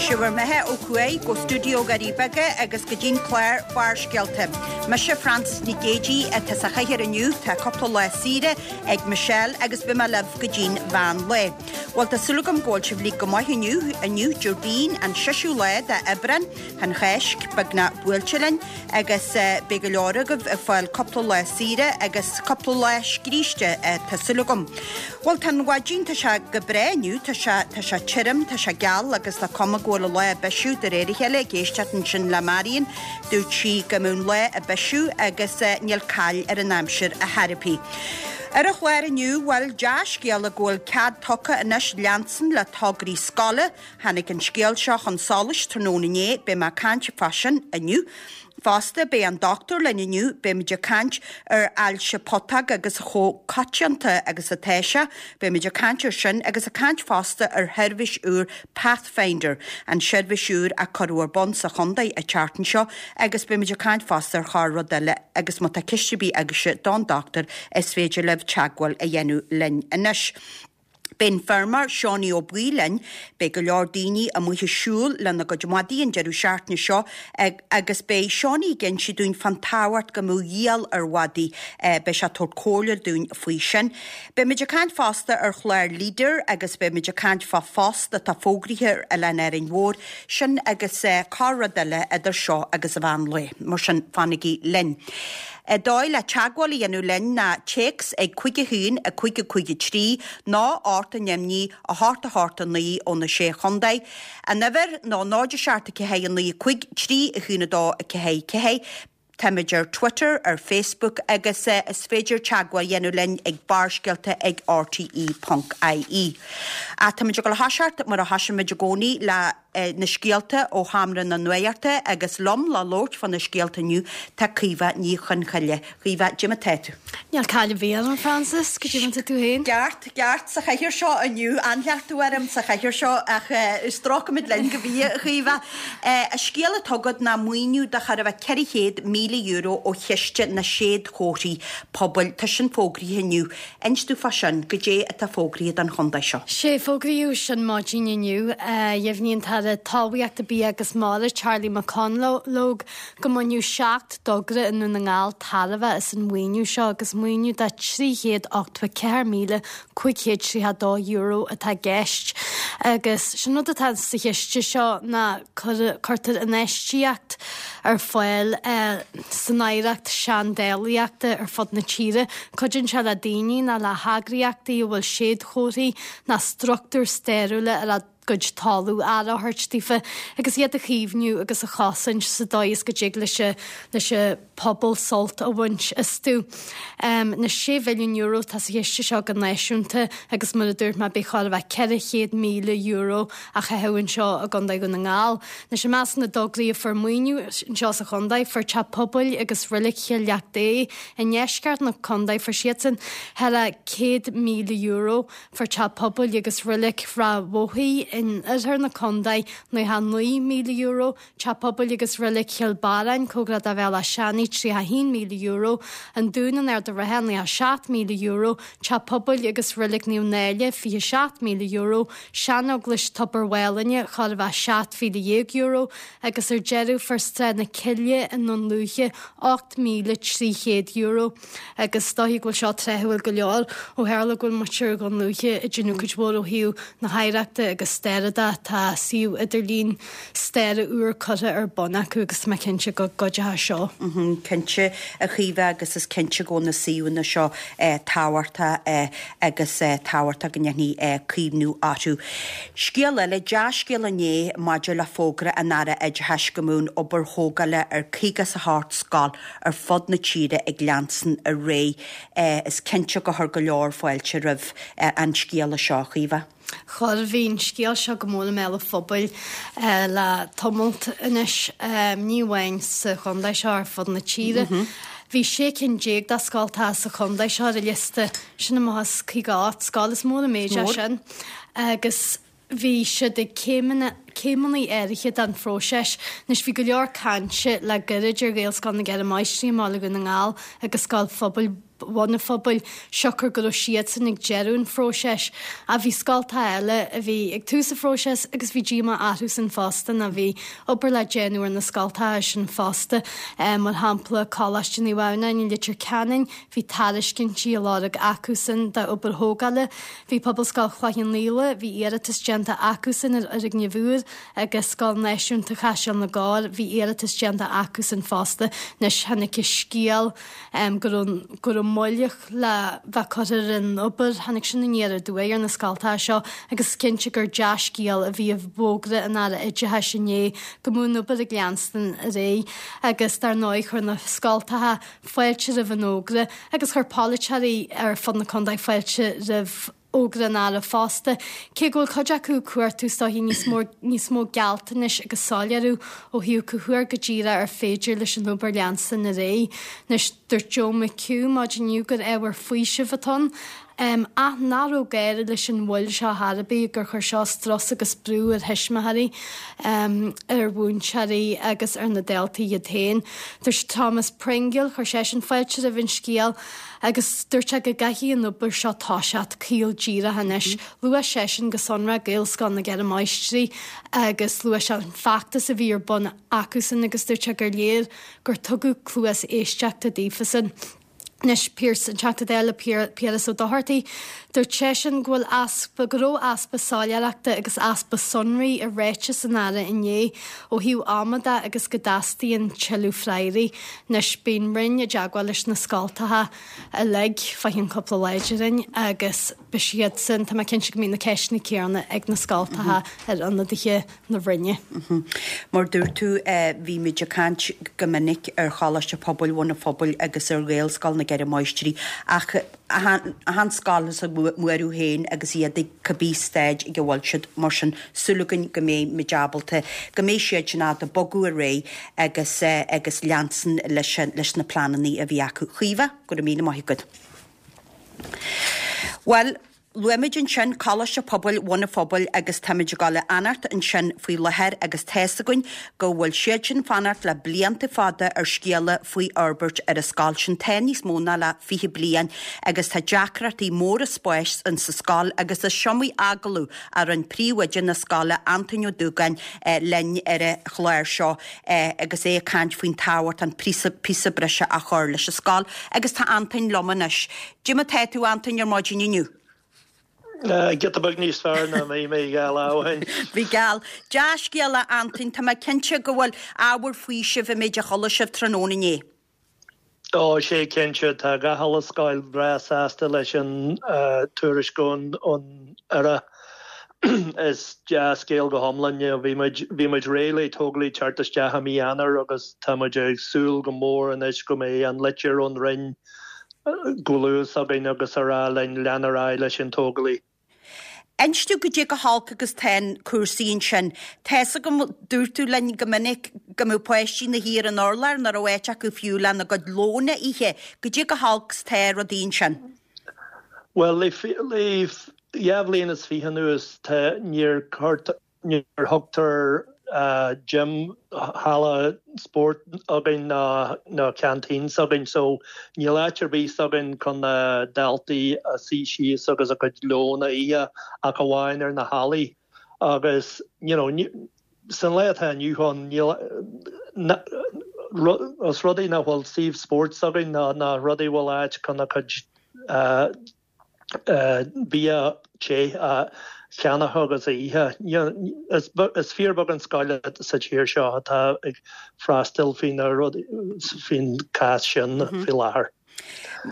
Sé bhur mbeatha ó thuaidh go stiúideo Dhoirí Beaga agus go dtí'n clár Barrscéalta. Mise Frances Nic Géadaigh atá sa chathaoir inniu, tá cúpla lá saoire ag Michelle agus beidh mé libh go dtí'n mheán lae. Bhuel tá súil agam go bhfuil sibh uilig go maith inniu, inniu Déardaoin an seisiú lá de Aibreán, an Cháisc beagnach buailte linn agus beidh go leor agaibh ag fáil cúpla lá saoire agus cúpla lá scríste tá súil agam. Bhuel tá an mhaidin, tá sé go breá inniu, tá sé, tá sé tirim, tá sé geal agus tá cuma go bhfuil an lá ag bisiú de réir a chéile, ag éisteacht ansin le Marion, dúirt sí go mbeadh an lá ag bisiú agus níl caill ar an aimsir ar chor ar bith. Ar an chlár inniu, bhuel, dea-scéala go bhfuil cead tugtha anois leanstan le tograí scoile, Tháinig an scéal seo chun solais tráthnóna inné, beidh mé ag caint fá sin inniu. Fosta, beidh an dochtúir linn inniu, beimid ag caint ar ailse putóg agus chomh coitianta agus atá sé, beimid ag caint ar sin agus ag caint fosta ar sheirbhís úr Pathfinder, an seirbhís úr a cuireadh ar bun sa chontae an tseachtain seo agus beimid ag caint fosta ar chorr rud eile agus má tá ceist ar bith agaibhse don dochtúir is féidir libh teagmháil a dhéanamh linn anois. Beidh an feirmeoir Seánie Ó Baoill linn. Beidh go leor daoine amuigh ag siúl lena gcuid madaí an deireadh seachtaine seo agus beidh Seánie ag inse dúinn fán tábhacht go mbeadh giall ar mhadaí. Beidh sé ag tabhairt comhairle dúinn faoi sin. Beimid ag caint fosta ar chlár Leader agus beimid ag caint fá phost atá fógraithe ar Oileán Árainn Mhór. Sin agus corr rud eile idir seo agus an mheán lae. Mar sin, fanaigí linn. An dóigh le teagmháil a dhéanamh linn ná téacs ag 5 1 5 5 3 nó 8 9 9 8 8 9 ó na Sé Chontae. An uimhir ná 0 7 4 9 5 3 1 2 4 4. Táimid ar Twitter, ar Facebook agus is féidir teagmháil a dhéanamh linn ag barrscéalta ag rte ponc ie. Ach táimid ag dul a thoiseacht mar a thosaímid i gcónaí le. na scéalta ó Sheomra na Nuachta agus liom le labhairt fá na scéalta inniu tá Caoimhe Ní Chonchoille. Caoimhe, cad é mar tá tú? Níl caill ar bith orm, a Frances, cad é mar tá tú féin? Ceart, ceart sa chathaoir seo inniu, an-chleachtadh orm sa chathaoir seo ach stróicfimid linn go mbí, a Chaoimhe. An scéal atá agat ná maoiniú de chóir a bheith €400,000 ó Chiste na Séadchomharthaí Pobail, tá sin fógraithe inniu. Inis domh fá sin, goidé atá fógraithe don chontae seo? Sé, fógraíodh sin maidin inniu. Dheimhnigh an tAire Talmhaíochta, Bia agus Mara, Charlie McConalogue, go mbainfeadh 7 dtogra i nDún na nGall tairbhe as an mhaoiniú seo agus maoiniú de €384,532 atá i gceist. Agus sin rud atá sa chiste seo ná cuirtear infheistíocht ar fáil san oidhreacht seandálaíochta ar fud na tíre. Cuidíonn sé le daoine nó le heagraíochtaí a bhfuil séadchomharthaí nó struchtúir stairiúla ar a gcuid talamh aire a thabhairt daofa agus iad a chaomhnú agus a chosaint sa dóigh is go dtig leis leis an pobal sult a bhaint astu. Na €6 mhilliún atá sa chiste seo go náisiúnta agus mar a dúirt mé beidh chóir a bheith €400,000 á chaitheamh anseo i gContae Dhún na nGall. Anois i measc na dtograí a fuair maoiniú anseo sa chontae fuair Teach Pobail agus Reilig Chill Leacht Dé i ndeisceart na contae fuair siadsan thar a €100,000. Fuair Teach Pobail agus Reilig Ráth Bhoth in oirthear na contae €99,000, Teach Pobail agus Reilig Chill Barráin, cóngarach do Bhéal Átha Seanaidh, €31,000, An Dún in Ard an Rátha, €97,000, Teach Pobail agus Reilig Naomh Náille, €27,000, Seaneaglais Tobar Mhálainne, chóir a bheith €17,000, agus ar deireadh fuair Sráid na Cille i nDún Lúiche €8,300. Agus is dóichí go bhfuil seo tráthúil go leor ó tharla go bhfuil muintir Dhún Lúiche ag déanamh cuid mhór ó thaobh na hoidhreachta agus staire de. Tá suíomh idirlín staire úr curtha ar bun acu agus tá mé cinnte go gcuideoidh seo. Cinnte, a Chaoimhe, agus is cinnte go bhfuil na suíomhanna seo tábhachtach agus tábhachtach go ndéanfaí caomhnú orthu. Scéal eile, dea-scéal inné maidir le fógra an Aire Oideachais go mbeadh an obair thógála ar 58 scoil ar fud na tíre ag leanstan ar aghaidh. Is cinnte gur chuir go leor fáilte roimh an scéala seo, a Chaoimhe. Chuir, bhí an scéal seo go mór i mbéal an phobail le tamalt anois, ní amháin sa chontae seo, ar fud na tíre. Bhí 16 cinn de scoltacha sa chontae seo ar an liosta, sin amach as 58 scoil, is mór an méid é sin. Agus bhí siad ag céimeanna, céimeanna áirithe den phróiseas. Anois bhí go leor cainte le gairid ar Ghaelscoil na gCeithre Máistrí i mBaile Dhún na nGall agus Scoil Phobail. Bhun an Phobail, siocair go raibh siadsan ag deireadh an phróiseas. Ach bhí scoltacha eile a bhí ag tús an phróiseas agus bhí díomá orthusan fosta nó bhí obair le déanamh ar na scoltacha sin fosta. Mar shampla, Coláiste Naomh Adhamhnáin i Leitir Ceanainn, bhí tairiscintí á lorg acusan d'obair thógála. Bhí Pobalscoil Chloich Cheann Fhaola, bhí iarratas déanta acusan ar fhoirgneamh úr agus Scoil Náisiúnta Chaiseal na gCorr, bhí iarratas déanta acusan fosta. Anois tháinig an scéal go raibh go raibh moill le bheith curtha ar an obair. Tháinig sin aniar aduaidh ar na scoltacha seo agus is cinnte gur dea-scéal a bhí i bhfógra an Aire Oideachais inné go mbeadh an obair ag leanstan ar aghaidh agus dar ndóigh chuir na scoltacha fáilte roimh an fhógra agus chuir polaiteoirí ar fud na contae fáilte roimh fhógra an Aire fosta, cé go bhfuil cuid acu ag cuartú is dóichí níos mó níos mó gealltanais agus soiléiriú ó thaobh cá huair go díreach ar féidir leis an obair leanstan ar aghaidh. Anois, dúirt Joe McHugh maidin inniu gur ábhar faoisimh atá ann, ach nach raibh gá leis an mhoill seo ar chor ar bith, gur chuir seo strus agus brú ar thuismitheoirí, ar mhúinteoirí agus ar na daltaí iad féin. Dúirt Thomas Pringle, chuir seisean fáilte roimh an scéal, Agus dúirt sé go gcaithfidh an obair seo toiseacht caol díreach anois. Luaigh seisean go sonrach Gaelscoil na gCeithre Máistrí agus luaigh sé an feachtas a bhí ar bun acusan agus dúirt sé gur léir gur tugadh cluas éisteachta daofasan. Anois, Pearse, an Teachta Dála Piaras Ó Dochartaigh, dúirt seisean go bhfuil easpa, go raibh easpa soiléireachta agus easpa sonraí i ráiteas an Aire inné ó thaobh ama de agus go dteastaíonn tuilleadh freagraí. Anois, beidh an Roinn i dteagmháil leis na scoltacha uilig fá cheann cúpla lá déarfainn agus beidh siadsan, tá mé cinnte go mbeidh na ceisteanna céanna ag na scoltacha ar ionadaithe na Roinne. Mar dúirt tú, bhí muid ag caint go minic ar Choláiste Pobail Bhun an Phobail agus ar Ghaelscoil na gCeithre Máistrí ach achan scoil as a mbuaireamh féin agus iad ag cibé staid ag a bhfuil siad, mar sin súil againn go mbeidh muid ábalta, go mbeidh siad in ann bogadh ar aghaidh agus agus leanstan leis leis na pleananna a bhí acu. Caoimhe, go raibh míle maith agat. Bhuel, Luaigh muid ansin Coláiste Pobail Bhun an Phobail agus táimid ag dul a fhanacht ansin faoi láthair agus tá's againn go bhfuil siad sin fanacht le blianta fada ar scéala faoi fhorbairt ar an scoil sin. Tá níos mó ná le 20 bliain agus tá deacrachtaí móra spáis in sa scoil agus is iomaí agallamh a rinne príomhoide na scoile Antoin Ó Dúgáin linn ar an chlár seo agus é ag caint faoin tábhacht an píosa breise a chur leis an scoil agus tá Antoin liom anois. Cad é mar tá tú, Antoin, ar maidin inniu? Giota beag níos fearr ná bhí mé dhá lá ó shin. Bhí geall. Dea-scéala, Antoin, tá mé cinnte go bhfuil ábhar faoisimh an méid a chuala sibh tráthnóna inné. Ó, sé cinnte, tá gach uile scoil breá sásta leis an tuairisc ón Aire. Is dea-scéal go hiomlán. Bhí muid, bhí muid réidh le tógálaí teacht isteach i mí Eanáir agus tá muid ag súil go mór anois go mbeidh an litir ón Roinn go luath s'againn agus a rá linn lean ar aghaidh leis an tógálaí. Inis domh goidé chomh holc agus tá cúrsaí ansin. Tá's agam, dúirt tú linn go minic go mbeadh páistí ina shuí ar an urlár, nach raibh áit acu fiú lena gcuid lóin a ithe. Goidé chomh holc 's tá rudaí ansin. Bhuel, le dhá bhliain is fiche anuas, tá, níor Níor thugtar gym, halla spóirt againn ná ná canteen s'againn so níl áit ar bith s'againn chun na daltaí a suí síos agus a gcuid lón a ithe ach amháin ar na hallaí agus you know san lá atá inniu ann níl os rud é nach bhfuil suíomh spóirt s'againn ná ná rud é bhfuil áit chun a cuid bia te a cheannach agus a ithe. Is fíorbheag an scoil sa tír seo atá ag freastal faoin cás sin faoi láthair.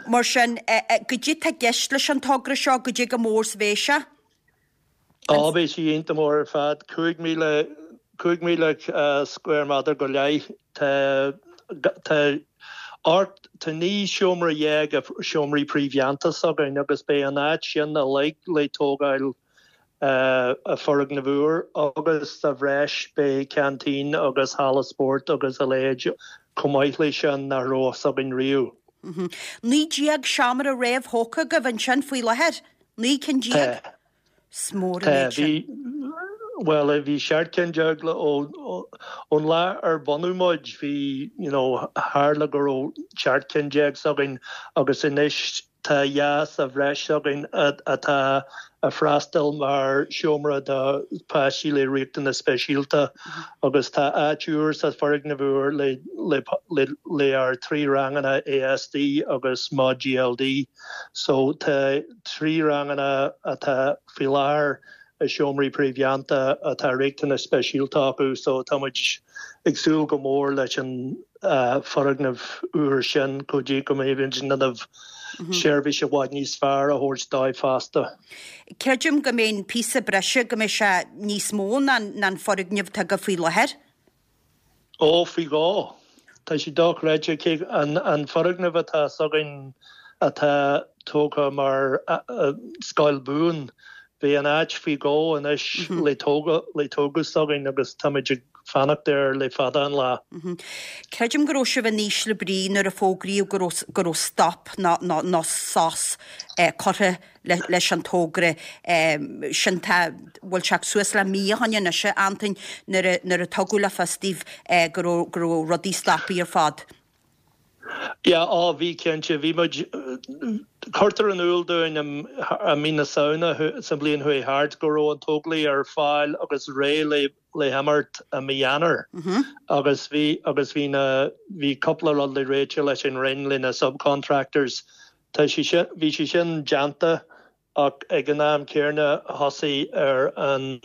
Mar sin, goidé tá i gceist leis an togra seo, goidé chomh mór 's a bheidh sé? Á, beidh sí iontach mór ar fad, 5,000, 5,000 square metre go leith. Tá, tá ocht, tá 19 seomra seomraí príomhdhéanta s'againn agus beidh an áit sin uilig le tógáil i foirgneamh úr agus sa bhreis beidh ceaintín agus halla spóirt agus a leithéid chomh maith leis sin nach raibh s'againn riamh. 19 seomra réamhthógtha agaibh ansin faoi láthair? 19 cinn? Tá. Is mór an méid sin. Tá. Bhuel, bhí 17 ceann le ón lá ar bunaíodh muid, bhí, you know, tharla go raibh 17 ceann s'againn agus anois tá 2 sa bhreis againn atá ag freastal mar seomra do pháistí le riachtanais speisialta agus tá áit úr sa foirgneamh úr le le le ár 3 ranganna ASD agus Mod GLD. So tá 3 ranganna atá faoi láthair i seomraí príomhdhéanta atá riachtanais speisialta acu so tá muid ag súil go mór leis an foirgneamh úr sin go dtí go mbeidh muid in ann seirbhís i bhfad níos fearr a thabhairt dóibh fosta. Creidim go mbeidh an píosa breise, go mbeidh sé níos mó ná an foirgneamh atá agaibh faoi láthair. Ó, faoi dhó. Tá sé dochreidte cé an foirgneamh atá s'againn atá tógtha mar scoil buan, beidh an áit faoi dhó anois le tógadh s'againn agus táimid ag fanacht air le fada an lá. Creidim go raibh sibh in ísle brí nuair a fógraíodh go raibh go raibh stop nó sos curtha leis an togra sin. Tá, bhfuil sé suas le mí ó shoin anois, a Antoin, nuair a, nuair a tugadh le fios daoibh go raibh, go raibh rudaí stoptha ar fad. Yeah, á, bhí cinnte, bhí muid, cuirtear in iúl dúinn i mí na Samhna sa bhliain chuaigh thart go raibh an tógálaí ar fáil agus réidh le, le himeacht i mí Eanáir agus bhí, agus bhí na, bhí cúpla rud le réiteach leis an Roinn, le na subcontractors Tá sé sin, bhí sé sin déanta ach ag an am céanna thosaigh ar an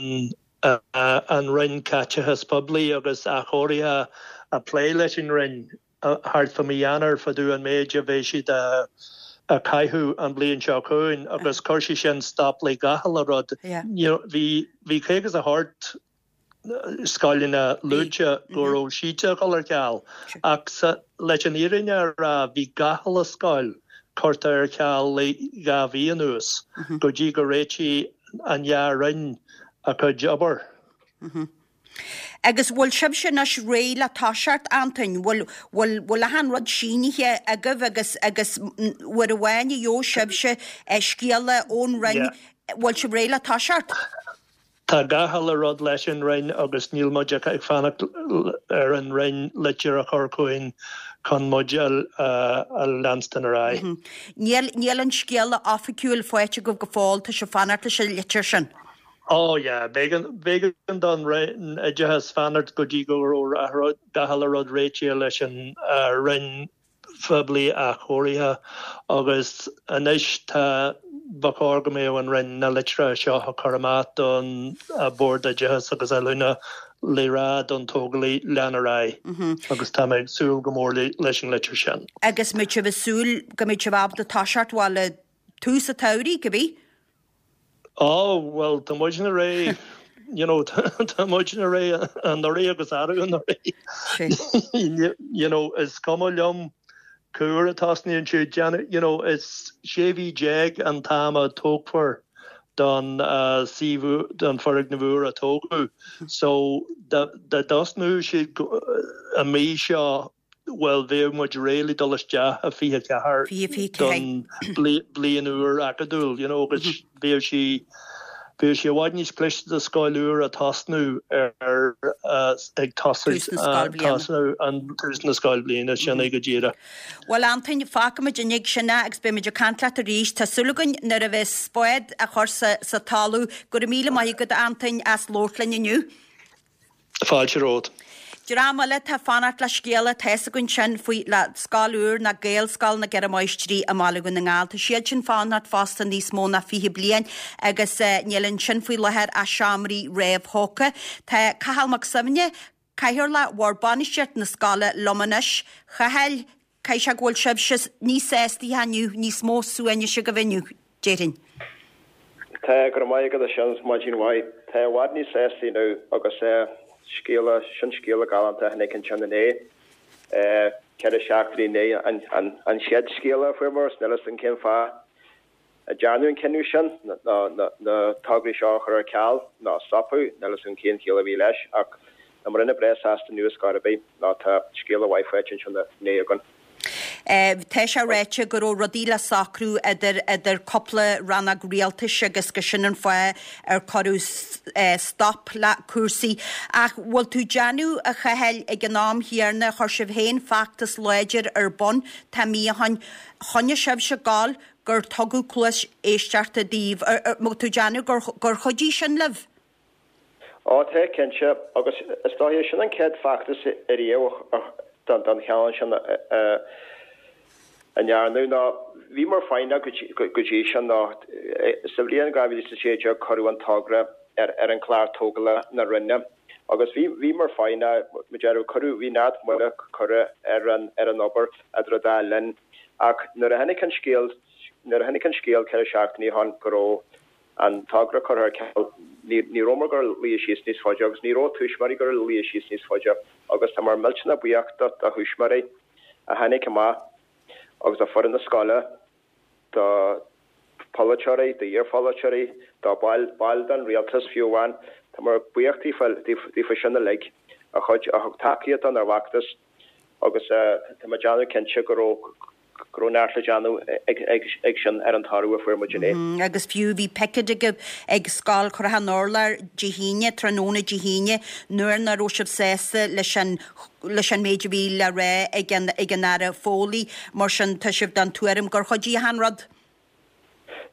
an Roinn Caiteachais Poiblí agus Athchóirithe a plé leis an Roinn thart fá mí Eanáir fá dtaobh an méid a bheidh siad a chaitheamh an bhliain seo chugainn agus chuir sé sin stop le gach uile rud. You know, bhí bhí 58 scoileanna luaite go raibh siad ag dul ar ceal ach leis an fhírinne a rá bhí gach uile scoil curtha ar ceal le 2 mhí anuas go dtí go réitigh an dhá roinn a cuid obair. Agus bhfuil sibhse anois réidh le toiseacht, Antoin? Bhfuil, bhfuil, bhfuil achan rud sínithe agaibh agus, agus uair amháin a gheobhaidh sibhse scéala ón Roinn, bhfuil sibh réidh le toiseacht? Tá gach uile rud leis an Roinn agus níl muid ach ag fanacht ar an Roinn litir a chur chugainn chun muid a leanstan ar aghaidh. Níl, níl an scéala oifigiúil faighte agaibh go fóill, tá sibh ag fanacht leis an litir sin. Oh yeah, b'éigean, b'éigean don Roinn Oideachais fanacht go dtí go raibh gach uile rud réitithe leis an Roinn Phoiblí Athchóirithe agus anois tá, ba chóir go mbeadh an Roinn na litreacha seo a chur amach don Bhord Oideachais agus Oiliúna le rá don tógálaí lean ar aghaidh agus tá mé ag súil go mór leis an litir sin. Agus mbeidh sibh ag súil go mbeidh sibh ábalta toiseacht, bhuel, le tús an tsamhraidh, cibé? Ó, bhuel, tá muidne réidh, you know, tá muidne réidh anuraidh agus arú anuraidh. You know, is cuma liom cá huair a tosnaíonn siad, déanamh, you know, is 16 mhí an t-am a tógfar don suíomh, don foirgneamh úr a tógadh. So, dá dtosnódh siad an mí seo, Bhuel, bheadh muid réidh le dul isteach i 24 don bliain úr acadúil, you know, agus bheadh sí, bheadh sé i bhfad níos cliste do scoil úr a tosnú ar, ag tosú, tosnú an tús na scoilbhliana, sin é go díreach. Bhuel, Antoin, fágfaimid ag sin é agus beimid ag caint leat arís. Tá súil againn nuair a bheas spád á chur sa, sa talamh. Go raibh míle maith agat, a Antoin, as labhairt linn inniu. Fáilte romhat. Dream eile atá ag fanacht le scéala, tá fhios againn sin, faoi le scoil úr ná Gaelscoil na gCeithre Máistrí i mBaile Dhún na nGall. Tá siad sin fanacht fosta níos mó ná 20 bliain agus níl ansin faoi láthair ach seomraí réamhthógtha. Tá Cathal Mac Suibhne, Cathaoirleach Bhord Bainistíochta na scoile liom anois. A Chathail, Caithfidh sé go bhfuil sibhse níos sástaithe inniu, níos mó suaimhnis agaibh inniu, déarfainn. Tá, go raibh maith agat a Sheáin, maidin mhaith. Tá i bhfad níos sástaí inniu agus scéala, sin scéala galánta a tháinig ansin inné, 4 seachtainí i ndiaidh an chéad scéala a fuaireamar, is níl fhios agam cén fáth a dearnadh an cinneadh sin, na tograí seo a chur ar ceal nó a stopadh, níl fhios agam cén chiall a bhí leis, ach tá muidne breá sásta inniu ar scor ar bith, nó tá scéala mhaith faighte ansin inné againn. Tá sé ráite go raibh rudaí le socrú idir idir cúpla rannóg rialtais agus gur sin an fáth ar cuireadh stop le cúrsaí. Ach bhfuil tú déanamh, a Chathail, ag an am chéanna, chuir sibh féin feachtas láidir ar bun tá mí ó shoin, choinnigh sibhse ag gabháil gur tugadh cluas éisteachta daoibh. Bhfuil tú déanamh gur chuidigh sin libh? Ó tá, cinnte, agus is dóiche sin an chéad feachtas ariamh den chineál sin a ndearnadh ná bhíomar foighneach go dtí sin ná sa bhliain 2016 cuireadh an togra ar an chlár tógála na Roinne agus bhí bhíomar foighneach mar deireadh cuireadh bhí neart moille curtha ar an ar an obair idir an dá linn ach nuair a tháinig an scéal nuair a tháinig an scéal 4 seachtainí ó shin go raibh an togra curtha ar ceal. Ní rabhamar ag goil a luí síos níos faide agus ní raibh tuismitheoirí ag goil a luí síos níos faide agus támar millteanach buíoch do thuismitheoirí a tháinig amach agus do foireann na scoile, do pholaiteoirí, d'iarpholaiteoirí, do baill den rialtas fiú amháin. Támar buíoch daofa sin uilig a chuid a thug tacaíocht don ár bhfeachtas agus tá mé ag déanamh cinnte go raibh go raibh neart le déanamh ag sin ar an toradh a fuair muid inné. Agus fiú bhí picéad agaibh ag Scoil Chnoc an Urláir Dé hAoine, tráthnóna Dé hAoine, nuair nach raibh sibh sásta leis an leis an méid a bhí le rá ag an ag an Aire Foley. Mar sin tá sibh den tuairim gur chuidigh achan rud.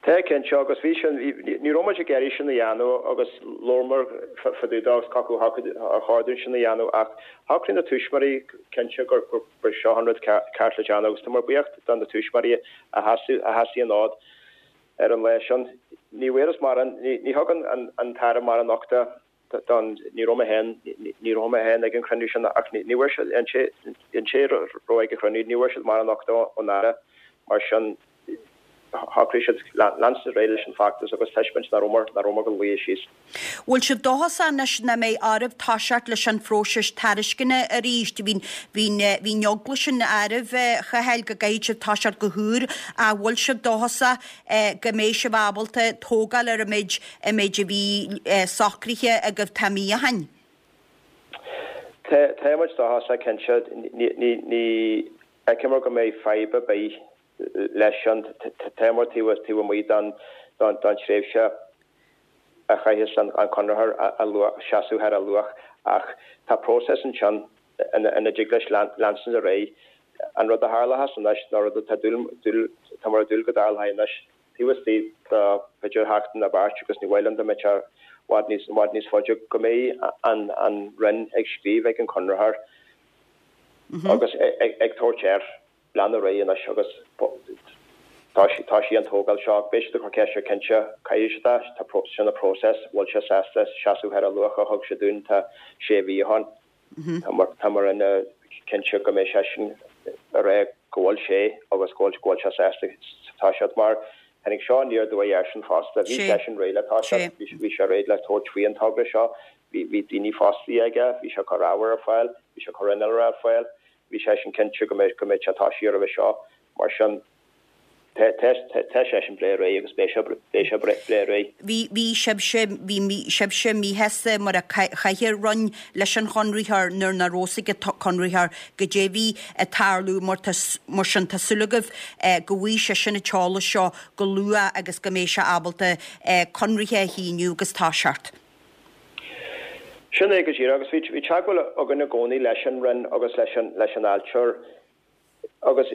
Tá, cinnte, agus bhí sin, ní raibh muid ag iarraidh sin a dhéanamh agus labhramar fá dtaobh de agus cé acu ar chóir dúinn sin a dhéanamh ach shocraigh na tuismitheoirí cinnte gur ba seo an rud ceart le déanamh agus tá muid buíoch do na tuismitheoirí a sheasaigh an fhód ar an lá sin. Ní bhfuarthas mórán, ní thug an tAire mórán uchta don, ní raibh mé féin, ní raibh mé féin ag an chruinniú sin ach ní bhfuair siad, an té, an té a raibh ag an chruinniú, ní bhfuair siad mórán uchta ón Aire, mar sin shocraigh siad leanstan ar aghaidh leis an feachtas agus taispeáint nach rabhamar, nach rabhamar ag goil a luí síos. Bhfuil sibh dóchasach anois nach mbeidh oraibh toiseacht leis an phróiseas tairisceana arís? Bhí, bhí, bhí an eagla sin oraibh, a Chathail, go gcaithfidh sibh toiseacht go húr ach bhfuil sibh dóchasach go mbeidh sibh ábalta tógáil ar an méid an méid a bhí socraithe agaibh tá mí ó shin. Tá tá muid dóchasach cinnte. Ní ní fheicimid go mbeidh fadhb ar bith leis sin. Táimid taobh taobh amuigh den den tréimhse a chaithfeas an conraitheoir a luach seasamh thar a luach ach tá próiseas ansin ina dtig leis leanstan ar aghaidh. An rud a tharlóchas anois nó rud atá dúil dúil táimid ag dúil go dtarlóidh anois taobh istigh de b'fhéidir sheachtain nó beirt agus ní mhaith liom dá mbeadh sé i bhfad níos i bhfad níos faide go mbeidh an an Roinn ag scríobh ag an chonraitheoir agus ag tabhairt air lean ar aghaidh anois agus tosaigh an tógáil seo beidh siad ag cur ceist air cinnte caithfidh siad é tá sin an próiseas bhfuil sé sásta seasamh thar an luach a thug sé dúinn tá sé mhí ó shin. Tá muid cinnte go mbeidh seisean ag rá go bhfuil sé agus go bhfuil go bhfuil sé sásta toiseacht mar tháinig seo aniar aduaidh airsean fosta. Bhí seisean réidh le toiseacht, bhí sé réidh le tabhairt faoi an togra seo, bhí bhí daoine fostaithe aige, bhí sé ag cur ábhar ar fáil, bhí sé ag cur innealra ar fáil, bhí seisean cinnte go mbeidh go mbeidh sé tosaithe roimhe seo. Mar sin. Tá seisean breá réidh agus beidh sé beidh sé breá réidh. Bhí bhí sibhse bhí sibhse míshásta mar a chaith an Roinn leis an chonraitheoir nuair nach raibh fhios ag an chonraitheoir goidé bhí ag tarlú mar tá mar sin tá súil agaibh go bhfaighidh seisean an t-eolas seo go luath agus go mbeidh sé ábalta conraithe a shíniú agus toiseacht. Sin é go díreach agus bhí bhí teagmháil againn i gcónaí leis an Roinn agus leis an leis an fháilteoir Agus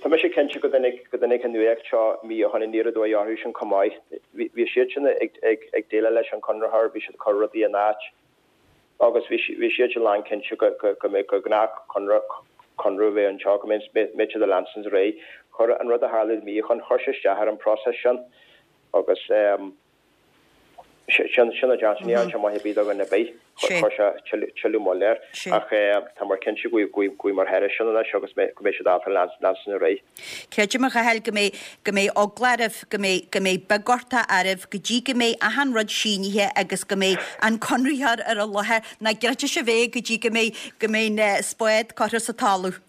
tá mise cinnte go dtáinig go dtáinig an nuacht seo mí ó shin aniar aduaidh orthu sin chomh maith. Bhí siad sin ag ag ag déileáil leis an chonraitheoir, bhí siad ag cur rudaí in áit agus bhí bhí siad sin lán cinnte go go go mbeadh gur gnách conradh conradh a bheith anseo, go mbeidh mbeidh siad ag leanstan ar aghaidh. Chuir an rud a tharla mí ó shin, chuir sé isteach ar an bpróiseas sin agus. Sin a deir ní dhearna sé maith ar bith do dhuine ar bith. Chuir sé tuilleadh moille air. Ach tá muid cinnte go bhfuil muid thairis sin anois agus go mbeidh siad ábalta leanstan ar aghaidh. Creidim, a Chathail, go mbeidh, go mbeidh eagla oraibh, go mbeidh, go mbeidh beagghorta oraibh go dtí go mbeidh achan rud sínithe agus go mbeidh an conraitheoir ar an láthair, nach gcreidfidh sibh é go dtí go mbeidh, go mbeidh an spád curtha sa talamh.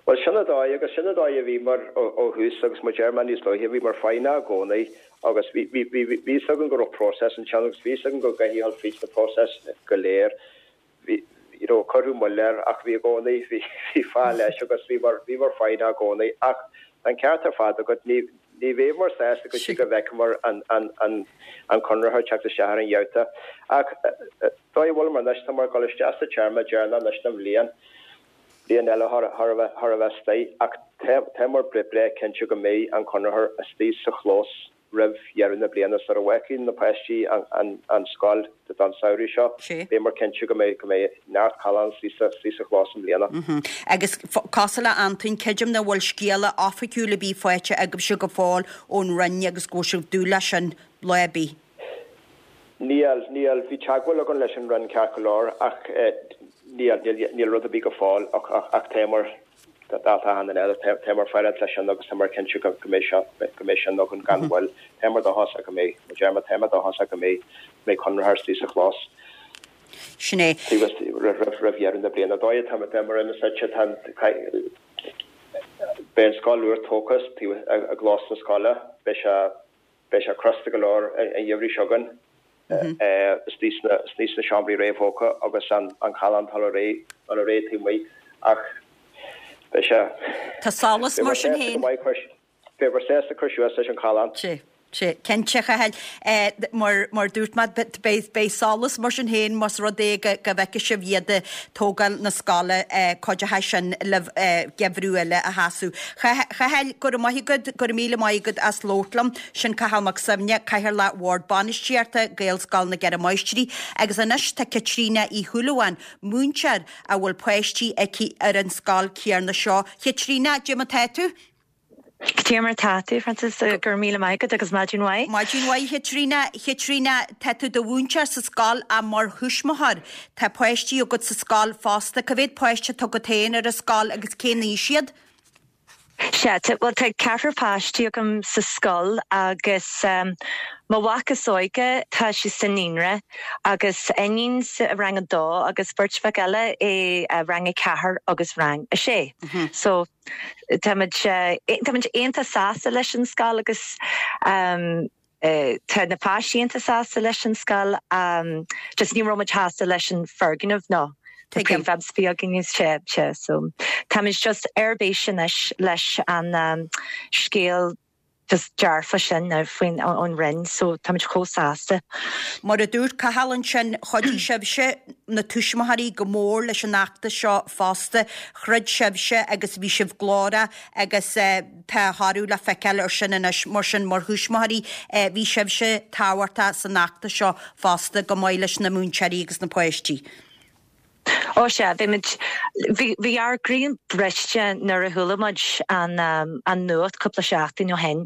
Bhuel, sin an dóigh, agus sin an dóigh a bhíomar ó thús, agus mar a deir mé níos luaithe, bhíomar foighneach i gcónaí agus bhí, bhí, bhí, bhí fhios againn go raibh próiseas ansin agus bhí fhios againn go gcaithfidh a dhul fríd na próisis go léir. Bhí, you know, cuireadh moill air ach bhí i gcónaí, bhí, bhí fáth leis agus bhíomar, bhíomar foighneach i gcónaí. Ach tá an ceart ar fad agat, ní, ní bheamar sásta go dtí go bhfeicfeamar an, an, an, an conraitheoir ag teacht isteach ar an gheabhta. Ach dóigh a bhfuileamar anois, táimar ag dul isteach sa téarma deireanach anois den bhliain, bliain eile chóir a bheith, chóir a bheith istigh ach tá, táimar breá cinnte go mbeidh an conraitheoir istigh sa chlós roimh dheireadh na bliana sara bhfágfaidh na páistí an scoil don samhradh seo. Beimid cinnte go mbeidh go mbeidh neart callán istigh sa chlós i mbliana. Agus cosúil le Antoin, creidim nach bhfuil scéala oifigiúil ar bith faighte agaibhse go fóill ón Roinn agus go bhfuil sibh ag dúil leis sin lá ar bith. Níl, níl. Bhí teagmháil againn leis an Roinn ceart go leor ach níl, níl, níl rud ar bith go fóill ach ach táimar Dalta achan duine eile, táimar ag faire leis sin agus táimar cinnte go mbeidh seo, go mbeidh sin againn gan mhoill. Táimar dóchasach go mbeidh, mar a deir mé, táimar dóchasach go mbeidh, mbeidh conraitheoir istigh sa chlós. Sin é. Taobh istigh, roimh, roimh dheireadh na bliana. Dóigh atá, táimar ina suite, tá an, beidh an scoil úr tógtha taobh, i gclós na scoile, beidh sé, Beidh sé crosta go leor an geimhreadh seo chugainn istigh sna seomraí réamhthógtha agus an callán ag dul ar aghaidh dul ar aghaidh taobh amuigh ach beidh sé Tá solas mar sin féin. Beifear sásta cur suas leis an challán. Sea, sea, cinnte, a Chathail. Mar mar dúirt mé, beidh beidh solas mar sin féin más rud é go go bhfeicfidh sibh iad ag tógáil na scoile, cuideoidh sin libh geimhreadh eile a sheasamh. Chathail, go raibh maith agat, go raibh míle maith agat as labhairt liom. Sin Cathal Mac Suibhne, Cathaoirleach Bhord Bainistíochta Ghaelscoil na gCeithre Máistrí. Agus anois tá Caitríona Uí Shúilleabháin, múinteoir a bhfuil páistí aici ar an scoil chéanna seo. Chaitríona, cad é mar tá tú? Cad é mar tá tú, Frances, go raibh míle maith agat agus maidin mhaith. Maidin mhaith, Chaitríona. Chaitríona, tá tú do mhúinteoir sa scoil ach mar thuismitheoir tá páistí agat sa scoil fosta. Cá mhéad páiste atá agat féin ar an scoil agus cén aois iad? Sea, bhuel tá ceathrar páistí agam sa scoil agus mo mhac is óige tá sé sa naíonra agus iníon sa rang a dó agus beirt mhac eile i rang a ceathair agus rang a sé. So táimid táimid iontach sásta leis an scoil agus Tá na páistí iontach sásta leis an scoil, just ní raibh muid sásta leis an foirgneamh nó na prefabs a bhí againn, sea, sea, so táimid just ar bís anois leis an scéal just dearfa sin faoin ón Roinn, so táimid chomh sásta. Mar a dúirt Cathal ansin, chuidigh sibhse, na tuismitheoirí, go mór leis an fheachtas seo fosta. Throid sibhse agus bhí sibh glórach agus tá a thoradh le feiceáil ar sin anois. Mar sin, mar thuismitheoirí, bhí sibhse tábhachtach san fheachtas seo fosta, chomh maith leis na múinteoirí agus na páistí. Ó sea, bhí muid, bhí, bhí ár gcroí briste nuair a chuala muid an, an nuacht cúpla seachtain ó shin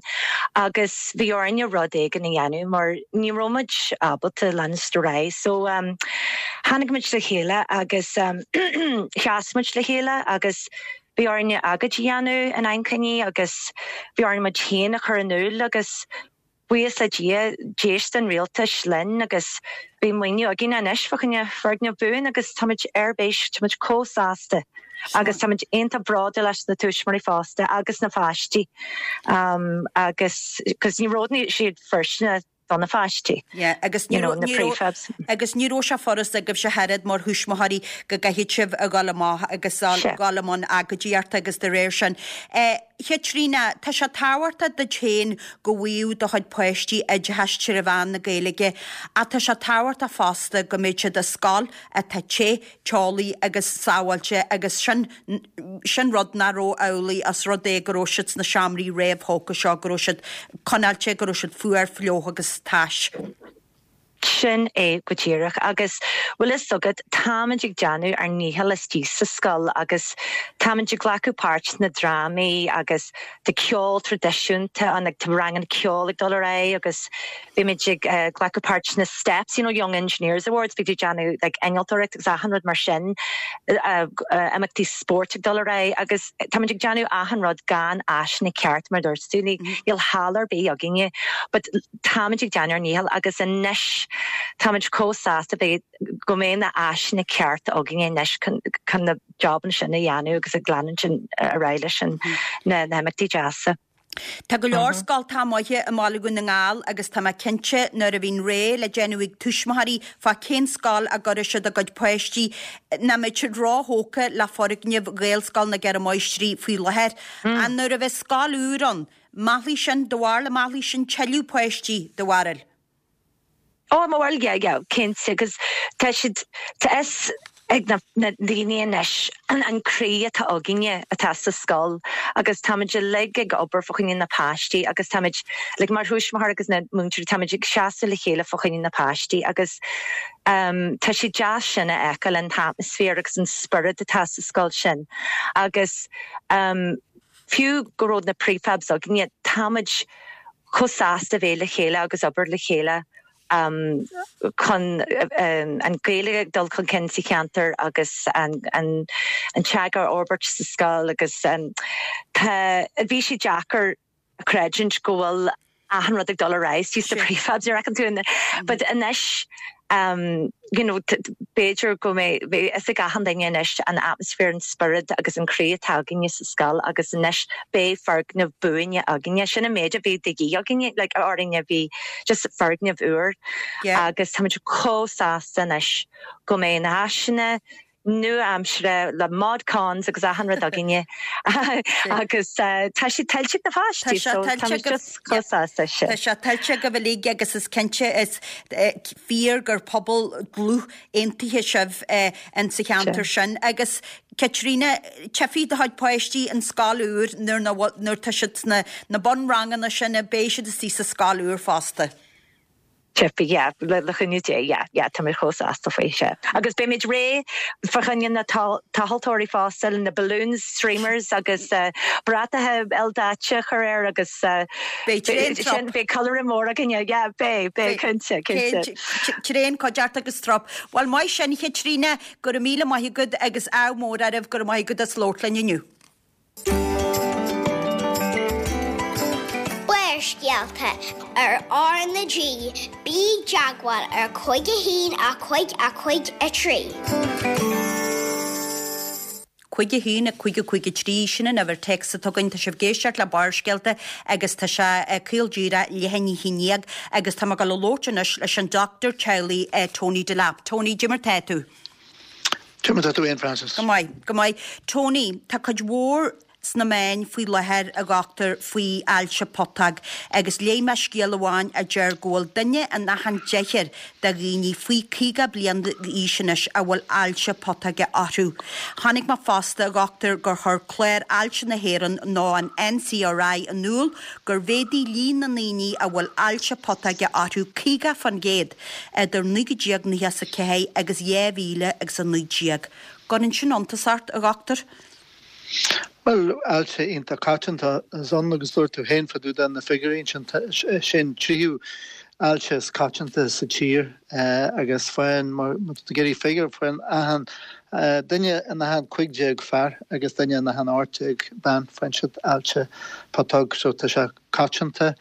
agus bhí orainne rud éigin a dhéanamh mar ní raibh muid ábalta leanúint ar aghaidh. So, tháinig muid le chéile agus sheas muid le chéile agus Bhí orainne agóid a dhéanamh in aghaidh agus bhí orainn muid féin a chur in iúl agus buíochas le Dia d'éist an rialtas linn agus beidh maoiniú againn anois fá choinne foirgneamh buan agus táimid ar bís, táimid chomh sásta agus táimid iontach bródúil as na tuismitheoirí fosta agus na páistí agus cos ní roghnaigh siad foirsteanach do na pháistí. Yeah, agus ní raibh, ní raibh, agus ní raibh sé furast agaibhse ach oiread mar thuismitheoirí go gcaithfidh sibh a dhul amach agus a dhul i mbun agóidíochta agus de réir sin. Eh, Chaitríona, tá sé tábhachtach duit féin go bhfaigheadh do chuid páistí oideachas tré mheán na Gaeilge ach tá sé tábhachtach fosta go mbeadh siad i scoil atá te, teolaí agus sábháilte agus sin, sin rud nach raibh amhlaidh os rud é go raibh siad sna seomraí réamhthógtha seo, go raibh siad conáilte, go raibh siad fuar, fliuch agus tais. Sin é go díreach. Agus bhfuil fhios agat, táimid ag déanamh ár ndícheall istigh sa scoil agus táimid ag glacadh páirt sna drámaí agus tá ceol traidisiúnta ann, tá ranganna ceoil ag dul ar aghaidh agus Bhí muid ag glacadh páirt sna STEPS, you know, Young Engineers Awards, bhí muid ag déanamh like innealtóireacht agus achan rud mar sin, imeachtaí spóirt ag dul ar aghaidh agus táimid ag déanamh achan rud gan áiseanna ceart mar dúirt tú, níl halla ar bith againne but táimid ag déanamh ár ndícheall agus anois táimid chomh sásta bheith go mbeidh na áiseanna cearta againne anois chun na jobanna sin a dhéanamh agus ag leanúint ar aghaidh leis na himeachtaí deasa. Tá go leor scoltacha maithe i mBaile Dhún na nGall agus tá mé cinnte nuair a bhíonn rogha le déanamh ag tuismitheoirí fá cén scoil a gcuirfidh siad a gcuid páistí, nach mbeidh siad róthógtha le foirgneamh Ghaelscoil na gCeithre Máistrí faoi láthair. Ach nuair a bheidh scoil úr ann, meallfaidh sin, do bharúil, meallfaidh sin tuilleadh páistí, do bharúil? Ó, mo bharúil, yeah, yeah, cinnte, agus tá siad, tá fhios ag na, na daoine anois an, an croí atá againne atá sa scoil agus táimid uilig ag obair fá choinne na páistí agus táimid, like, mar thuismitheoir agus na múinteoirí, táimid ag seasamh le chéile fá choinne na páistí agus um, tá sé deas sin a fheiceáil, an t-atmaisféar agus an spiorad atá sa scoil sin agus um, fiú go raibh na prefabs againne, táimid chomh sásta bheith le chéile agus obair le chéile chun an Ghaeilge ag dul chun cinn sa cheantar agus an teanga a fhorbairt sa scoil agus tá, bhí sé deacair a chreidiúint go bhfuil achan rud ag dul ar aghaidh istigh sna prefabs, ar fheiceann tú, but anois you know, b'fhéidir go mbeidh fhios ag achan duine anois an atmaisféar, an spiorad agus an croí atá againne sa scoil agus anois beidh foirgneamh buaine againne. Sin an méid a bhí de dhíth againne, like, orainne, bhí just foirgneamh úr agus táimid chomh sásta anois go mbeidh na háiseanna nua-aimseartha le mod cons agus achan rud againne agus tá sé tuillte ag na páistí so táimid just chomh sásta sin. Tá sé tuillte agaibh uilig agus is cinnte is fíor gur pobal dlúth aontaithe sibh in sa cheantar sin agus Caitríona, tchífidh do chuid páistí an scoil úr nuair nuair tá siad sna na bunranganna sin beidh siad istigh sa scoil úr fosta. Tchífidh, yeah, le cúnamh Dé, yeah, yeah, táimid chomh sásta faoi, sea. Agus beimid réidh fá choinne na tomhaltóirí fosta, na balloons, streamers agus bratacha ildaite a chur air agus Beidh tréan trup. Beidh ceiliúradh mór againne, yeah, beidh, beidh, cinnte, cinnte. Tréan cuideachta agus trup. Bhuel, maith sin, a Chaitríona, go raibh míle maith agat agus ádh mór oraibh, go raibh maith agat as labhairt linn inniu. Barrscéalta ar R na G, bí i dteagmháil ar 5 1 5 5 3. 5 1 5 5 3, sin an uimhir téacs atá againn. Tá sibh ag éisteacht le Barrscéalta agus tá sé caol díreach leath i ndiaidh a haon dhéag agus tá mé ag dul a labhairt anois leis an dochtúir teaghlaigh Tony Delap. Tony, cad é mar tá tú? Cad é mar tá tú fhéin, Frances. Go maith, go maith. Tony, tá cuid mhór sna meáin faoi láthair, a dhochtúir, faoi ailse putóg agus léigh mé scéal amháin a deir go bhfuil duine in achan deichniúr de dhaoine faoi 50 bliain d'aois anois a bhfuil ailse putóige orthu. Chonaic mé fosta, a dhochtúir, gur chuir Clár Ailse na hÉireann nó an NCRI in iúl gur mhéadaigh líon na ndaoine a bhfuil ailse putóige orthu 50% idir 1994 agus 2019. Gcuireann sin iontas ort, a dhochtúir? Bhuel, ailse iontach coitianta atá ann agus dúirt tú féin fá dtaobh de na figiúirí ansin, sin tríú ailse is coitianta sa tír agus faigheann, má tá tú ag iarraidh figiúr, faigheann achan duine in achan 15 fear agus duine in achan 18 bean, faigheann siad ailse putóg so tá sé coitianta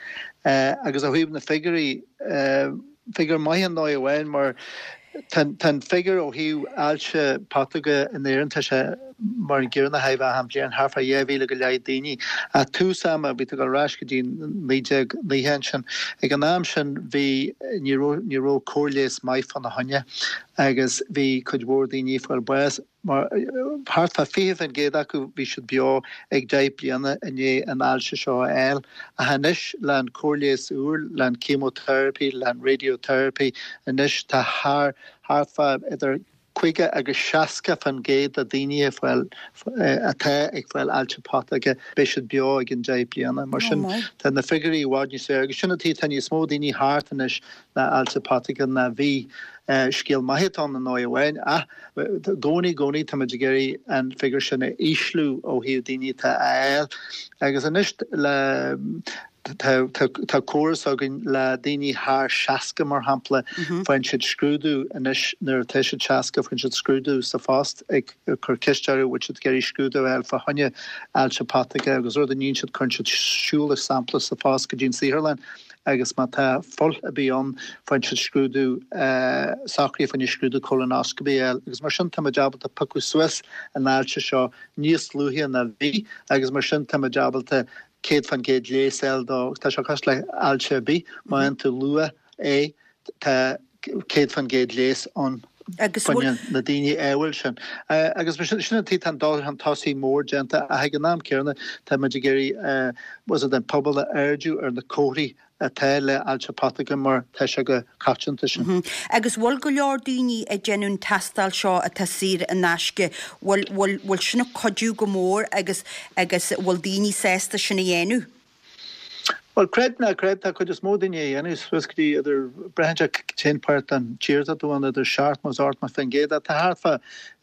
agus ó thaobh na figiúirí, Figiúr maith i ndóigh amháin mar tá an figiúr ó thaobh ailse putóige in Éirinn, tá sé mar an gcéanna achan bhliain, thart fá 2,000 go leith daoine. Ach tús ama, bhí tú ag dul ar ais go dtí 1990 ansin, ag an am sin bhí, ní raibh, ní raibh cóir leighis maith fána choinne agus bhí cuid mhór daoine ag fáil bás. Mar thart fá 20% acu bhí siad beo ag 10 bliana i ndiaidh an ailse seo a fháil. Ach anois le an cóir leighis úr, le an chemotherapy, le an radiotherapy, anois tá thar, thart fá idir 50 agus 60% de daoine ag fáil, atá ag fáil ailse putóige, beidh siad beo i gcionn 10 bliana. Mar sin tá na figiúirí i bhfad níos fearr agus sin an tuige tá níos mó daoine thart anois le ailse putóige ná bhí. Scéal maith atá ann i ndóigh amháin ach i gcónaí, i gcónaí táimid ag iarraidh an figiúr sin a ísliú ó thaobh daoine atá á fháil agus anois le tá tá córas againn le daoine thar 60 mar shampla, faigheann siad scrúdú anois nuair atá siad 60, faigheann siad scrúdú sa phost ag cur ceist orthu bhfuil siad ag iarraidh scrúdú a fháil fá choinne ailse putóige agus rud a níonn siad cuireann siad siúl sampla sa phost go dtí an saotharlann agus má tá fuil ar bith ann, faigheann siad scrúdú, socraithe fá choinne scrúdú colonoscopy a fháil agus mar sin táimid ábalta piocadh suas an ailse seo níos luaithe ná bhí agus mar sin táimid ábalta. 100% leigheas a fháil dó. Tá sé cosúil le ailse ar bith, má fhaigheann tú luath é, tá 100% leigheas ann fá choinne na daoine a bhfuil sin. Agus mar sin, sin an tuige tá an dul chun tosaigh mór déanta ach ag an am céanna tá muid ag iarraidh bhfuil fhios agat an pobal a airdiú ar na comharthaí atá le ailse putóige mar tá sé chomh coitianta sin. Agus bhfuil go leor daoine ag déanamh an tástáil seo atá saor in aisce, bhfuil, bhfuil, bhfuil sin ag cuidiú go mór agus, agus bhfuil daoine sásta sin a dhéanamh? Bhuel, creid ná creid, tá cuid is mó daoine á dhéanamh, suas go dtí idir, braitheann sé cén páirt den tír atá tú ann, idir 70 is 80%, ach tá thart fá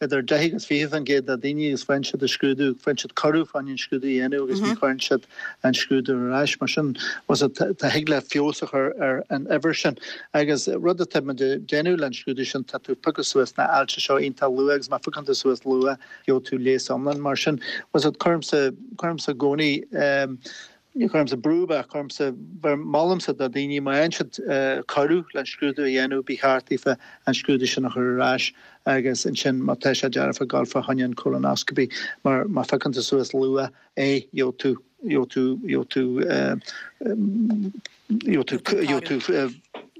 idir 10 agus 20% de daoine agus faigheann siad an scrúdú, faigheann siad cuireadh fá choinne an scrúdú a dhéanamh agus ní chuireann siad an scrúdú ar ais. Mar sin, bhfuil fhios agat, tá, thig le feabhas a chur ar an uimhir sin. Agus rud atá muid ag déanamh le an scrúdú sin, tá tú ag piocadh suas na ailse seo iontach luath agus má phiocann tú suas luath, gheobhaidh tú leigheas iomlán. Mar sin, bhfuil fhios agat, cuirimse, cuirimse i gcónaí, ní chuirimse brú ach cuirimse, molaimse do daoine má fhaigheann siad cuireadh le an scrúdú a dhéanamh, ba cheart daofa an scrúdú sin a chur ar ais agus ansin má tá sé dearfa gabháil fá choinne an colonoscopy mar má phiocann tú suas luath é gheobhaidh tú, gheobhaidh tú, gheobhaidh tú, gheobhaidh tú, gheobhaidh tú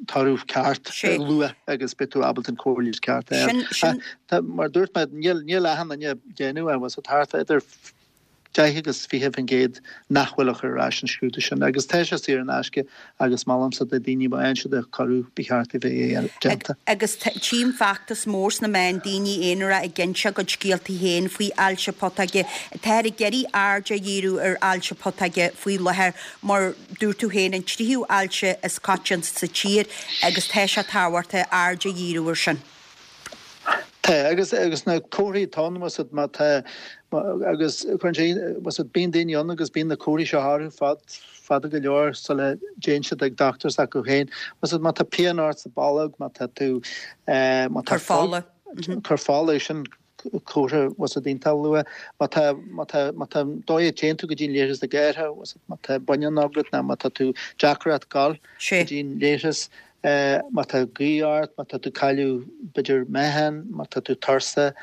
toradh ceart luath agus beidh tú ábalta an cóir leighis ceart a fháil. Ach mar a dúirt mé, níl, níl achan duine ag déanamh é, bhfuil fhios agat, thart idir 10 agus 20% nach bhfuil ag cur ar ais an scrúdú sin agus tá sé saor in aisce agus molaimse do daoine má fhaigheann siad an cuireadh ba cheart a bheith déanta. Agus tchím feachtas mór sna meáin, daoine aonara ag inse a gcuid scéaltaí féin faoi ailse putóige. Táthar ag iarraidh aird a dhíriú ar ailse putóige faoi láthair mar dúirt tú féin an tríú ailse is coitianta sa tír agus tá sé tábhachtach aird a dhíriú ar sin. Tá, agus, agus na comharthaí atá ann, bhfuil fhios agat, má tá, agus cuireann sé, bhfuil fhios agat, bíonn daoine ann agus bíonn na comharthaí seo orthu fad, fada go leor sula dtéann siad ag dochtúir s'acu féin. Bhfuil fhios agat, má tá pian ort sa bholg, má tá tú, má tá Cur fola. Cur fola, sin comhartha, bhfuil fhios agat, iontach luath. Má tá, má tá, má tá an dóigh a dtéann tú go dtí an leithreas ag athrú, bhfuil fhios agat, má tá bunion agat nó má tá tú deacracht gabháil go dtí an leithreas, Má tá gaoth ort, má tá tú ag cailleadh b'fhéidir meáchan, má tá tú tuirseach,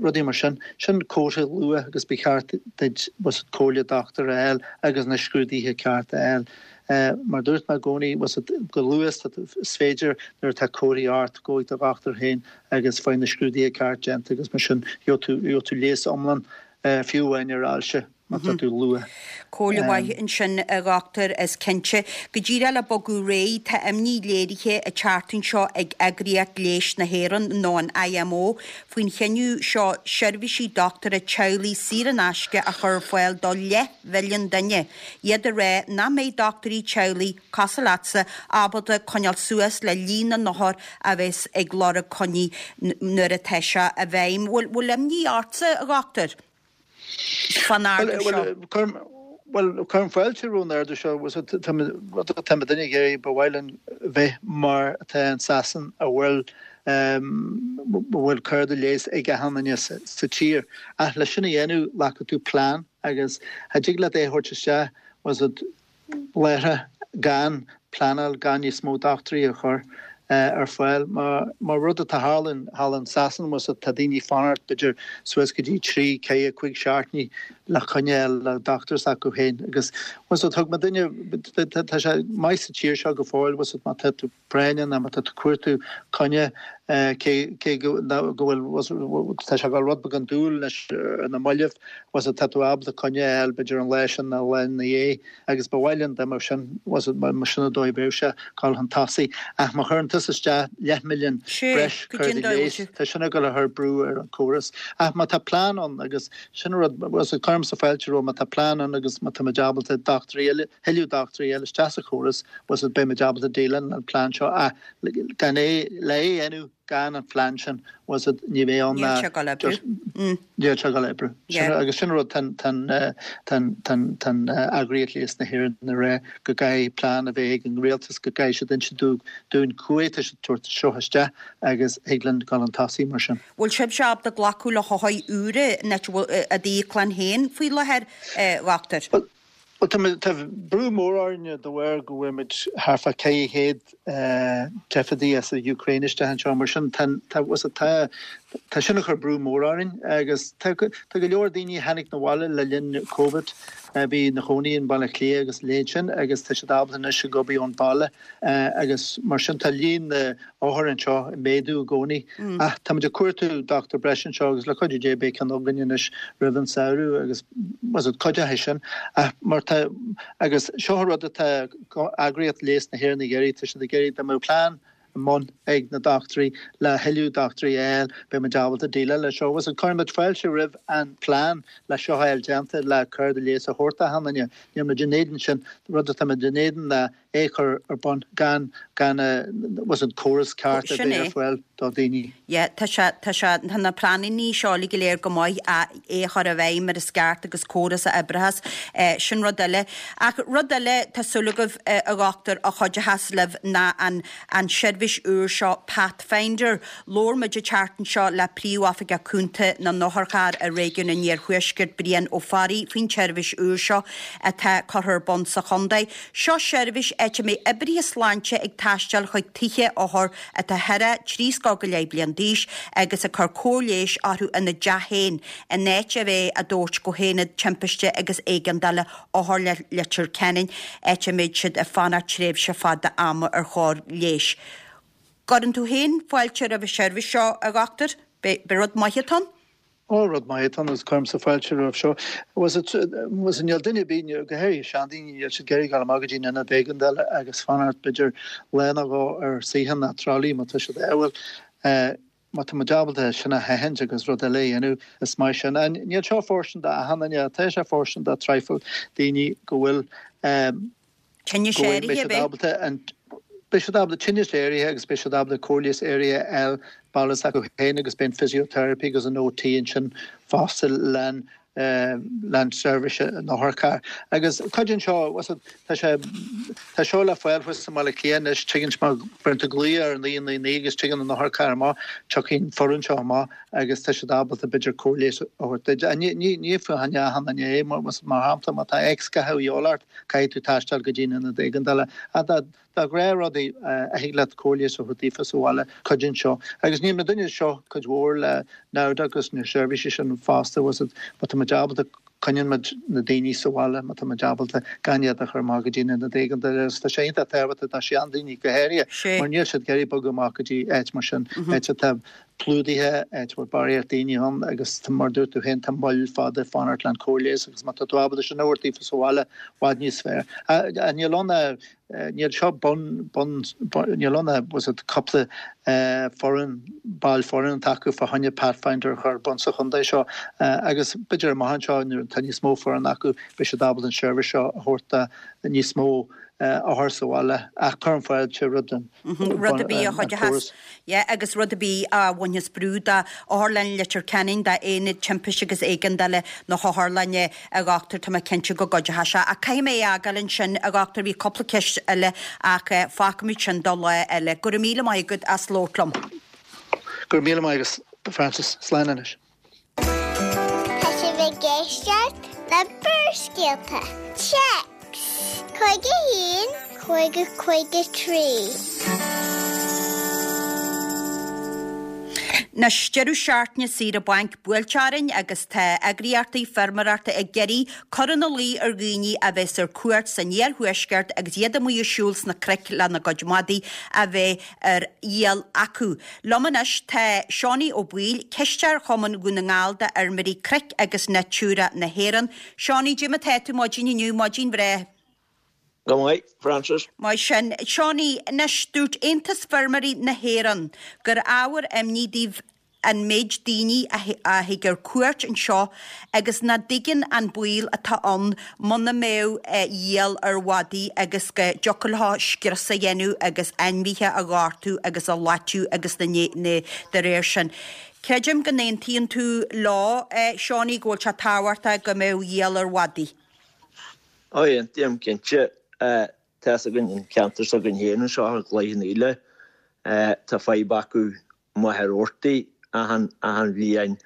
rudaí mar sin, sin comhartha luath agus ba cheart duit bhfuil fhios agat comhairle dochtúra a fháil agus na scrúduithe cearta a fháil. Mar a dúirt mé i gcónaí, bhfuil fhios agat chomh luath is féidir nuair atá comharthaí ort, gabh ag do dhochtúir féin agus faigh na scrúduithe ceart déanta agus mar sin gheobhaidh tú, gheobhaidh tú leigheas iomlán fiú amháin ar ailse. má tá tú luath. Comhairle mhaith ansin, a dhochtúir, is cinnte. Go díreach le bogadh ar aghaidh, tá imní léirithe an tseachtain seo ag Eagraíocht Leighis na hÉireann, nó an IMO, faoin chinneadh seo seirbhísí dochtúra teaghlaigh saor in aisce a chur ar fáil do leathmhilliún duine, iad ag rá nach mbeidh dochtúirí teaghlaigh, cosúil leatsa, ábalta coinneáil suas le líon na n-othar a bheas ag lorg coinní nuair atá sé i bhfeidhm. Bhfuil imní ortsa, a dhochtúir? fán ardú seo? Bhuel, cuirim fáilte roimh an ardú seo. Rud atá muidinne ag iarraidh, ba mhaith linn bheith mar atá in Sasain a bhfuil a bhfuil cárta leighis ag achan duine sa tír. Ach le sin a dhéanamh, glacfaidh tú plean agus cha dtig leat é a thabhairt isteach, bhfuil fhios agat, láithreach gan pleanáil, gan níos mó dochtúirí a chur ar fáil. Mar rud atá thall thall in Sasain, bhfuil fhios agat, tá daoine ag fanacht b'fhéidir suas go dtí trí, ceathair, cúig seachtainí le coinne a fháil le dochtúir s'acu féin. Agus bhfuil fhios agat, thug muidinne, tá sé maith sa tír seo go fóill, bhfuil fhios agat, má tá tú práinneach nó má tá tú ag cuartú coinne, cé cé go bhfuil tá sé ag dul rud beag andúil anois ar na mallaibh, bhfuil fhios agat, tá tú ábalta coinne a fháil b'fhéidir an lá sin nó lá ina dhiaidh agus ba mhaith linn dá mbeadh sin, bhfuil fhios agat, mar sin an dóigh a bheadh sé dul chun tosaigh. Ach má chuireann tusa isteach leathmhilliún breis cártaí leighis, tá sin ag dul a chur brú ar an chóras. Ach má tá plean ann agus sin an rud, bhfuil fhios agat, cuirimse fáilte roimh má tá plean ann agus má tá muid ábalta dochtúirí eile, thuilleadh dochtúirí a fháil isteach sa chóras, bhfuil fhios agat, beidh muid ábalta déileáil leis an plean seo ach gan é, le é a dhéanamh gan an phlean sin, bhfuil fhios agat, ní bheidh ann Níl sé ag dul oibriú. Níl sé ag dul oibriú. Sin, agus sin rud tá an eagraíocht leighis na hÉireann ag rá go gcaithfidh plean a bheith ag an rialtas, go gcaithfidh siad inse dúinn cá huair atá siad ag tabhairt seo isteach agus thig linn dul chun tosaigh mar sin. Bhfuil sibhse ábalta glacadh le hothair úra in áit a bhfuil i d'íoclann féin faoi láthair, a dhochtúir? Bhuel, tá, tá brú mór orainne de bharr go bhfuair muid thart fá 400 teifeadaí as an Úcráin isteach anseo, mar sin tá, tá, tá, tá sin ag cur brú mór orainn agus tá, tá go leor daoine a tháinig 'na bhaile le linn Covid a bhí ina chónaí in Baile Átha Cliath agus a leithéid sin agus tá siad ábalta anois ag obair ón baile agus mar sin tá líon na n-othar anseo ag méadú i gcónaí. Ach táimid ag cuartú dochtúir breise anseo agus le cuidiú Dé beidh ceann againn anois roimh an samhradh agus cuideoidh sin. Ach mar tá, agus seo an rud atá eagraíocht leighis na hÉireann ag iarraidh, tá siad ag iarraidh dá mbeadh plean i mbun ag na dochtúirí le thuilleadh dochtúirí a fháil, beidh muid ábalta déileáil leis seo. Agus cuireann muid fáilte roimh an plean le seo a fháil déanta le cárta leighis a thabhairt d'achan duine. Níl muid in éadan sin. Rud atá muid in éadan ná é a chur ar bun gan gan was an córas ceart a bheith ar fáil do dhaoine. Yeah, tá sé, tá sé, tá na pleananna seo uilig go léir go maith ach é a chur i bhfeidhm mar is ceart agus córas a oibreochas, sin rud eile. Ach rud eile, tá súil agaibh, a dhochtúir, a chuideochas libh ná an, an seirbhís úr seo Pathfinder. Labhair muid an tseachtain seo le Príomhoifigeach Cúnta na nOtharcharr i réigiún an Iarthuaiscirt, Brian Ó Fearraigh, faoin tseirbhís úr seo atá curtha ar bun sa chontae. Seo seirbhís áit a mbeidh oibrithe sláinte ag taisteal chuig tithe othar atá thar thrí scór go leith bliain d'aois agus ag cur cóir leighis orthu ina dteach féin in áit a bheith á dtabhairt go hAonad Timpiste agus Éigeandála Otharlann Leitir Ceanainn áit a mbeidh siad ag fanacht tréimhse fada ama ar chóir leighis. Gcuireann tú féin fáilte roimh an seirbhís seo, a dhochtúir? B'é rud maith atá ann? Ó, rud maith atá ann agus cuirimse fáilte roimh seo. Was it, was it, níl duine ar bith, go háirithe seandaoine, níl siad ag iarraidh dul amach go dtí an ionad éigeandála agus fanacht b'fhéidir lá nó dhó ar suíochán nó tralaí má tá siad ádhúil. Má tá muid ábalta sin a sheachaint agus rud eile a dhéanamh, is maith sin. Níl seo fóirstean d'achan duine, tá sé fóirstean do traidhfil daoine go bhfuil, Tinneas go bhfuil, beidh áirithe, siad ábalta an, beidh siad ábalta tinneas áirithe agus beidh siad ábalta cóir leighis áirithe a fháil baile s'acu féin agus beidh an physiotherapy agus an OT ansin fosta len len seirbhís an otharchairr. Agus cuidíonn seo, tá sé, tá seo le fáil thuas i mBaile Átha Cliath anois, tuigeann, má bheireann tú glaoch ar 999 agus tigeann an otharcharr amach, tiocfaidh an foireann seo amach agus tá siad ábalta b'fhéidir cóir leighis a thabhairt duit. Ní, ní, ní fá choinne achan duine é, mar shampla má tá X-ghatha a dhíobháil ort, Caithfidh tú taisteal go dtí an ionad éigeandála. Ach dá ghnáthrudaí a thig leat cóir leighis a thabhairt daofa sa bhaile, cuidíonn seo. Agus níl muidinne anseo cuid mhór le namhad agus na seirbhísí sin fosta, was it, má tá muid ábalta, coinníonn muid na daoine sa bhaile má tá muid ábalta gan iad a chur amach go dtí an ionad éigeandála. Agus tá sé iontach tábhachtach do sheandaoine go háirithe mar níl siad ag iarraidh bogadh amach go dtí áit mar sin, áit atá plódaithe, áit a bhfuil barraíocht daoine ann agus mar a dúirt tú féin, tá moill fada fanacht len cóir leighis agus má tá tú ábalta sin a thabhairt daofa sa bhaile, i bhfad níos fearr. Níl ann ach, níl seo bun, bun, níl ann ach, was it, cúpla foireann, ball foireann atá acu fá choinne Pathfinder a chur ar bun sa chontae seo agus b'fhéidir amach anseo nuair atá níos mó foireann acu beidh siad ábalta an seirbhís seo a thabhairt do níos mó othar sa bhaile ach cuirim fáilte roimh an Rud ar bith a chuideochas. Yeah, agus rud ar bith a bhainfeas brú de Otharlann Leitir Ceanainn, d'Aonad Timpiste agus Éigeandála na hOtharlainne, a dhochtúir, tá mé cinnte go gcuideoidh sé. Ach caithfidh mé é a fhágáil ansin, a dhochtúir, bhí cúpla ceist eile ach fágfaimid sin do lá eile. Go raibh míle maith agat as labhairt liom. Go raibh míle maith agat, Frances. Slán anois. Tá sibh ag éisteacht le Barrscéalta. Téacs 51 50 53. Anois, deireadh seachtaine saoire bainc buailte orainn agus tá eagraíochtaí feirmeoireachta ag iarraidh cur ina luí ar dhaoine a bheas ar cuairt san iarthuaisceart agus iad amuigh ag siúl sna cnoic lena gcuid madaí a bheith ar iall acu. Liom anois tá Seánie Ó Baoill, Cisteoir Chumann Dhún na nGall d'Fheirmeoirí Cnoic agus Natura na hÉireann. Seánie, cad é mar atá tú maidin inniu, maidin bhreá. Go maith, Frances. Maith sin. Seánie, anois, dúirt Aontas Feirmeoirí na hÉireann gur ábhar imní daoibh an méid daoine a thig ar cuairt anseo agus nach dtuigeann an baol atá ann muna mbeadh iall ar mhadaí agus go dtiocfadh leo scrios a dhéanamh agus ainmhithe a ghortú agus a loiteadh agus na de réir sin. Creidim go n-aontaíonn tú leo, Seánie, go bhfuil sé tábhachtach go mbeadh iall ar mhadaí. Ó, aontaím, cinnte. Tá's againn an ceantar s'againn féin anseo i gCloich Cheann Fhaola, tá fadhb acu Machaire Rabhartaigh achan, achan bhliain.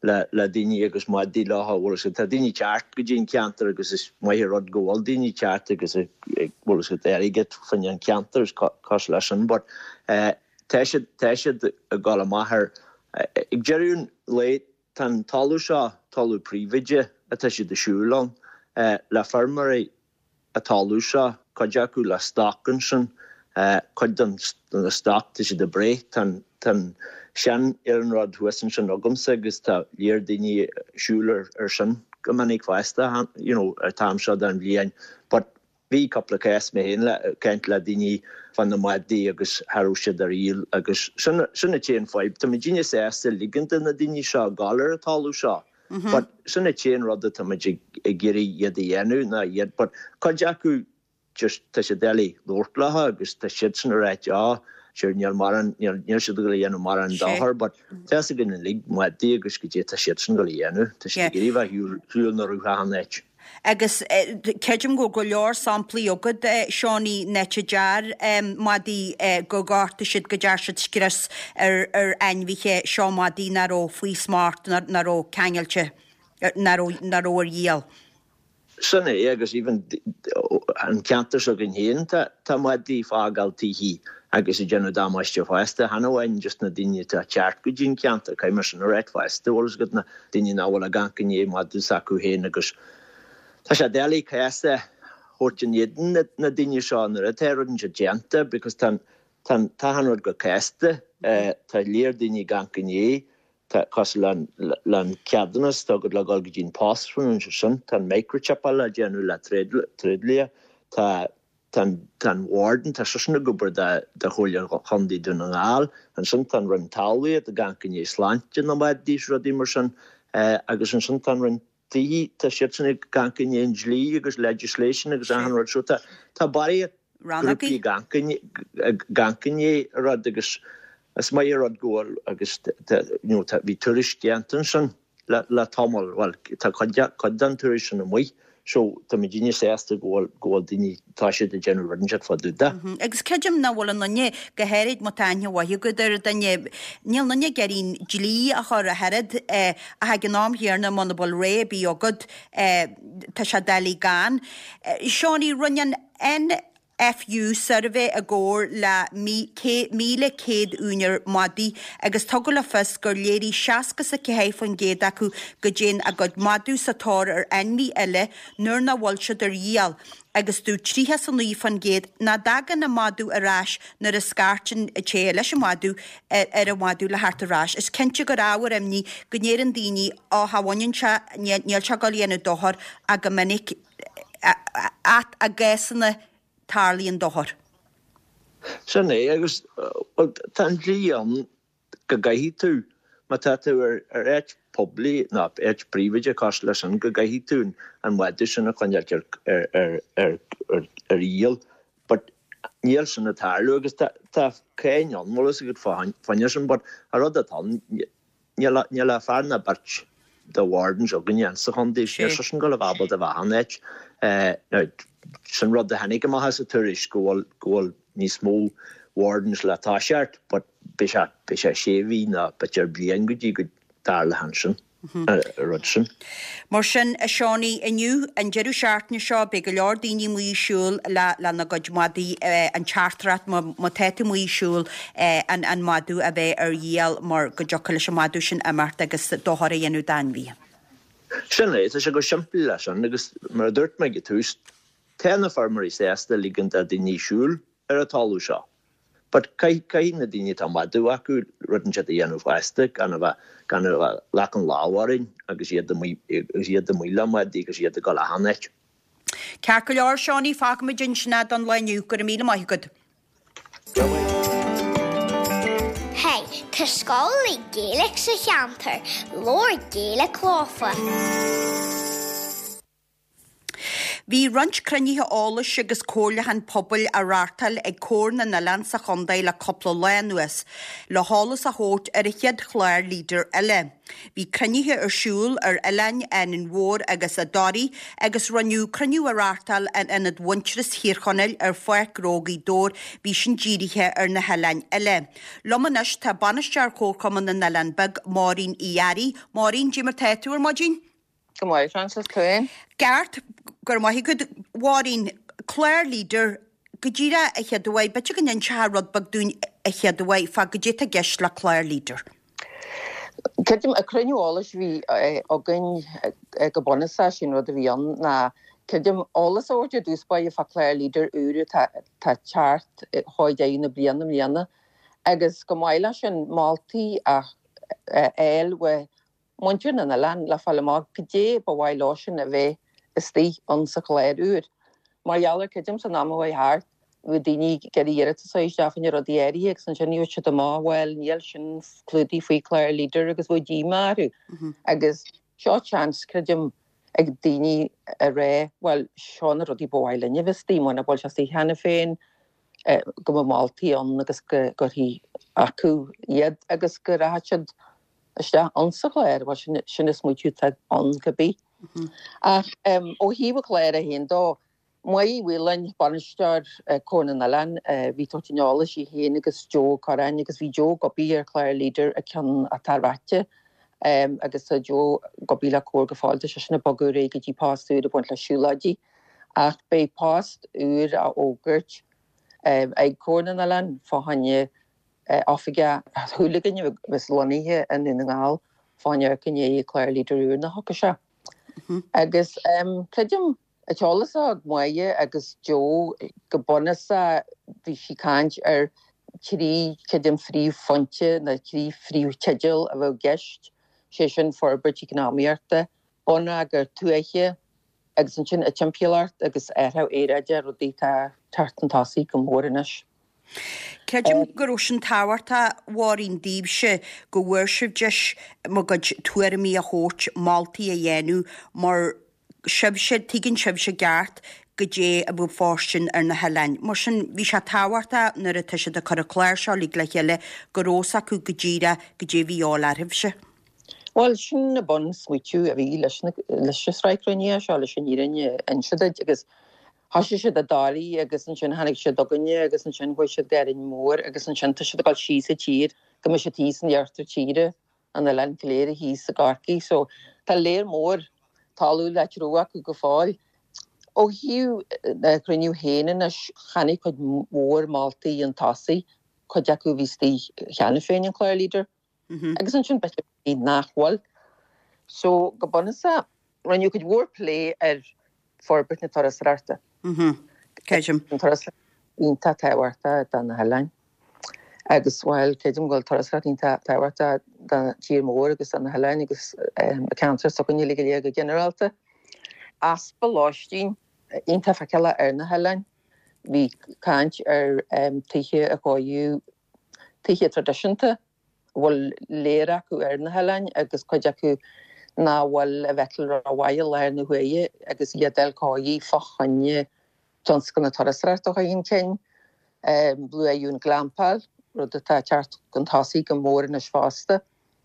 le le daoine agus madaí leo, bhfuil fhios agat. Tá daoine ag teacht go dtí an ceantar agus is maith an rud go bhfuil daoine ag teacht agus ag bhfuil fhios agat airgead fá choinne an ceantar is cosúil leis sin but tá siad tá siad ag dul amach ar ag deireadh an lae tá an talamh seo talamh príobháideach atá siad ag siúl ann le feirmeoirí an talamh seo, cuid acu le stoc ansin, cuid den na stoc tá siad ag breith, tá an tá an sean iarnród thuas ansin agamsa agus tá lear daoine ag siúl ar ar sin go minic fosta you know ar t-am seo den bhliain but bhí cúpla cás mé féin le caint le daoine fá na madaí agus cha raibh siad ar dhíol agus sin sin an t-aon fadhb, tá muidinne sásta ligean do na daoine seo gabháil ar an talamh seo. But sin an t-aon rud atá muid ag iarraidh iad a dhéanamh ná iad but cuid acu just tá sé doiligh labhairt leo agus tá siadsan ag ráit oh sure níl mórán níl níl siad ag dul a dhéanamh mórán dochar but tá fhios againn uilig madaí agus goidé tá siadsan ag dul a dhéanamh tá siad ag iarraidh bheith ar shiúl na rútha an áit. Agus creidim go bhfuil go leor samplaí agat, Seánie, in áit a deir madaí gur ghortaigh siad, go dear siad scrios ar ainmhithe, seo madaí nach raibh faoi smacht, nach raibh ceangailte, nach raibh ar dhíol. Sin é, agus even an ceantar s'againn féin, tá madaí ag fágáil tithe agus ag déanamh damáiste fosta, chan amháin just na daoine atá ag teacht go dtí an ceantar, caithfidh mé sin a ráit fosta, bhfuil fhios agat, na daoine nach bhfuil ag amharc i ndiaidh madadh s'acu féin agus tá sé doiligh cás a thabhairt in éadan na daoine seo nuair atá rud inteacht déanta because tá tá tá an rud go casta, tá lear daoine ag amharc i ndiaidh, tá cosúil le le an ceadúnas atá agat le dhul go dtí an post ansin, tá an microchipáil le déanamh le tréidlia, tá Tá an warden, tá seisean ag obair do Chomhairle Chontae Dhún na nGall. Ansin tá an Roinn Talmhaíochta ag amharc i ndiaidh sláinte na madaí is rudaí mar sin. Agus ansin tá an Roinn Tithe, tá siadsan ag amharc i ndiaidh an dlí agus legislation agus achan rud. So tá tá barraíocht grúpaí ag amharc i ndiaidh an rud agus is maith an rud go bhfuil agus you know bhí tuairisc déanta ansin. le tamall, bhuel, tá cuid den tuairisc sin amuigh, so tá muidinne sásta go bhfuil, go bhfuil daoine, tá siad ag déanamh rud inteacht fá dtaobh de. Agus creidim nach bhfuil aon duine, go háirid má tá aithne mhaith agat ar dhuine, níl aon duine ag iarraidh an dlí a chur ach oiread, ach ag an am chéanna muna bhfuil rogha ar bith agat, tá sé doiligh gan. Seánie, rinne an NFU suirbhé i gcomhar le 1,100 úinéir madaí agus tugadh le fios gur léirigh 64% acu go dtéann a gcuid madadh sa tóir ar ainmhí eile nuair nach bhfuil siad ar dhíol agus dúirt 39% nach dtagann an madadh ar ais nuair a scairteann an té leis an mhadadh ar an mhadadh le theacht ar ais. Is cinnte gur ábhar imní go ndeireann daoine 'Ó cha bhaineann sé, níl sé ag dul a dhéanamh dochar' ach go minic ach i gcásanna tarlaíonn dochar. Sin é, agus bhuel tá an dlí ann go gcaithfidh tú, má tá tú ar áit poiblí nó áit príobháideach cosúil leis sin, go gcaithfidh tú an madadh sin a choinneáilt ar ar dhíol. But níl sin ag tarlú agus tá cáin ann, bhfuil fhios agat fá choinne sin, but an rud atá ann, Níl ach fear ná beirt de wardens againne insa chontae, níl seisean ag gabháil a bheith ábalta a bheith achan áit. Now, sin rud a tháinig amach as an tuairisc, go bhfuil, go bhfuil níos mó wardens le toiseacht, but beidh sé, beidh sé sé mhí nó b'fhéidir bliain go dtí go dtarlóidh ansin. an rud sin. Mar sin, a Seánie, inniu, an deireadh seachtaine seo, beidh go leor daoine amuigh ag siúl le lena gcuid madaí, an teachtaireacht má tá tú amuigh ag siúl, an an madadh a bheith ar dhíol mar go dtiocfadh leis an madadh sin imeacht agus dochar a dhéanamh d'ainmhithe. Sin é, tá sé chomh simplí leis sin agus mar a dúirt mé ag an tús, tá na feirmeoirí sásta ligean do daoine siúl ar an talamh seo. But caithfidh na daoine atá madadh acu rud inteacht a dhéanamh fosta, gan a bheith, gan a bheith leagan lámh orainn agus iad amuigh, agus iad amuigh le madaí agus iad ag dul achan áit. Ceart go leor, Seánie, fágfaimid ansin é don lá inniu. Go raibh míle maith agat. Hey, tá scoil le Gaeilge sa cheantar, labhair Gaeilge leofa. Bhí roinnt cruinnithe eolais agus comhairliúchán pobail á reáchtáil ag Comhar na nOileán sa chontae le cúpla lá anuas, le heolas a thabhairt ar an chéad chlár Leader eile. Bhí cruinnithe ar siúl ar oileáin Árainn Mhór agus i dToraigh agus rinneadh cruinniú a reáchtáil in Ionad Mhuintearas Thír Chonaill ar Pháirc Ghnó Ghaoth Dobhair, bhí sin dírithe ar na hoileáin eile. Liom anois tá Bainisteoir Chomharchumann na nOileán Beag, Máirín Uí Fhearraigh. Máirín, cad é mar tá tú ar maidin? Go maith, Frances, tú fhéin? Ceart, go raibh maith agat. Mháirín, Clár Leader, go díreach a chéaduair, b'fhéidir go n-inseofá rud beag dúinn a chéaduair fá goidé tá i gceist le Clár Leader. Creidim, an cruinniú eolais a bhí againn go bunúsach, sin rud a bhí ann ná, creidim, eolas a thabhairt ar dtús báire fá Clár Leader úr atá ag teacht chomh deireadh na bliana i mbliana agus chomh maith leis sin moltaí a fháil uaidh muintir na n-oileán le fáil amach goidé ba mhaith leosan a bheith istigh ann sa chlár úr. Mar gheall ar, creidim, san am a chuaigh thart, bhí daoine ag iarraidh iarratas a chur isteach fá choinne rudaí áirithe agus ansin gheobhadh siad amach, bhuel, níl sin clúdaithe faoi chlár Leader agus bheadh díomá orthu. Agus seo seans, creidim, ag daoine a rá, bhuel, seo na rudaí ba mhaith linne a bheith istigh, muna bhfuil sé istigh cheana féin, go mbeadh moltaí ann agus go gcuirfí acu iad agus go rachadh siad isteach ann sa chlár, bhuel sin, sin an smaoitiú atá ann cibé. Ach ó thaobh an chláir é féin dó, Máire Uí Mhaoláin, bainisteoir Comhar na nOileán, bhí ag tabhairt an eolais í féin agus Joe Ó Corráin agus bhí Joe ag obair ar chlár Leader an ceann atá ráite agus tá Joe ag obair le Comhar go fóill, tá seisean ag bogadh ar aghaidh go dtí post úr ag baint le siúlóidí ach beidh post úr á fhógairt ag Comhar na nOileán fá choinne Oifigeach, tá súil againn a bheas lonnaithe i nDún na nGall fá choinne amharc i ndiaidh clár Leader úr nuair a thiocfaidh sé. Agus creidim, an t-eolas atá ag Máire agus Joe go bunúsach bhí sí ag caint ar thrí, creidim, phríomhphointe nó thrí phríomhtheideal a bheadh i gceist, sé sin forbairt eacnamaíochta, bonneagar tuaithe agus ansin an timpeallacht agus athrú aeráide, rudaí atá ag teacht chun tosaigh go mór anois. Creidim go raibh sin tábhachtach, a Mháirín, daoibhse, go bhfuair sibh deis bhur gcuid tuairimí a thabhairt, moltaí a dhéanamh, mar sibhse, tuigeann sibhse i gceart goidé a bheadh fóirstean ar na hoileáin. Mar sin, bhí sé tábhachtach nuair atá siad ag cur an clár seo uilig le chéile go raibh fhios acu go díreach goidé a bhí a dhíobháil oraibhse. Bhuel, sin an bun-smaoitiú a bhí leis an sraith cruinnithe seo, leis an fhírinne a inse duit, agus Thoisigh siad i dToraigh agus ansin tháinig siad chugainne agus ansin chuaigh siad go Árainn Mhór agus ansin tá siad ag dul síos an tír go mbeidh siad thíos in iarthar tíre, an oileán go léir thíos i gCorcaigh. So tá léar mór talamh le treabhadh acu go fóill. Ó thaobh an chruinniú féin anois, tháinig cuid mhór moltaí chun tosaigh, cuid acu a bhí istigh cheana féin in clár Leader. Agus ansin b'fhéidir nach bhfuil. So, go bunúsach, rinneadh cuid mhór plé ar forbairt na turasóireachta. Creidim. An turasóireacht iontach tábhachtach do na hoileáin. Agus, bhuel, creidim go bhfuil turasóireacht iontach tábhachtach don tír mór agus do na hoileáin agus an ceantar s'againne uilig go léir go ginearálta. Easpa lóistín iontach feiceálach ar na hoileáin. Bhí caint ar tithe a chóiriú tithe traidisiúnta a bhfuil léar acu ar na hoileáin agus cuid acu nach bhfuil a bhfeiceáil rómhaith i láthair na huaire agus iad a fháil cóirithe fá choinne tionscal na turasóireachta a chur chun cinn. Luadh an glampáil, rud atá ag teacht chun tosaigh go mór anois fosta.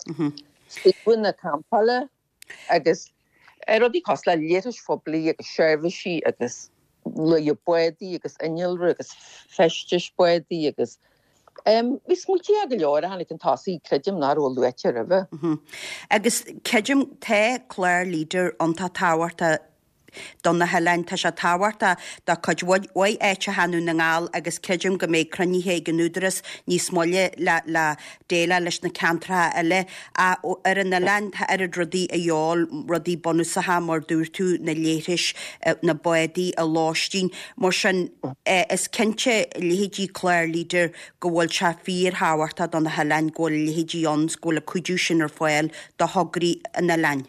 Suíomhanna campála. Agus rudaí cosúil le leithris phoiblí agus seirbhísí agus luadh bádaí agus innealra agus feistis bádaí agus bhí smaointe go leor a tháinig chun tosaigh, creidim, nach raibh luaite roimhe. Agus creidim, tá clár Leader iontach tábhachtach do na hoileáin. Tá sé tábhachtach do cuid mhaith áiteacha i nDún na nGall agus creidim go mbeidh cruinnithe ag an Údarás níos moille le le déileáil leis na ceantracha eile. Ach ar an oileán tá oiread rudaí a dhíobháil, rudaí bunúsacha mar dúirt tú, na leithris, na bádaí, an lóistín. Mar sin is cinnte leithéidí clár Leader go bhfuil sé fíorthábhachtach do na hoileáin go bhfuil a leithéidí ann, go bhfuil an cuidiú sin ar fáil do thograí an oileáin.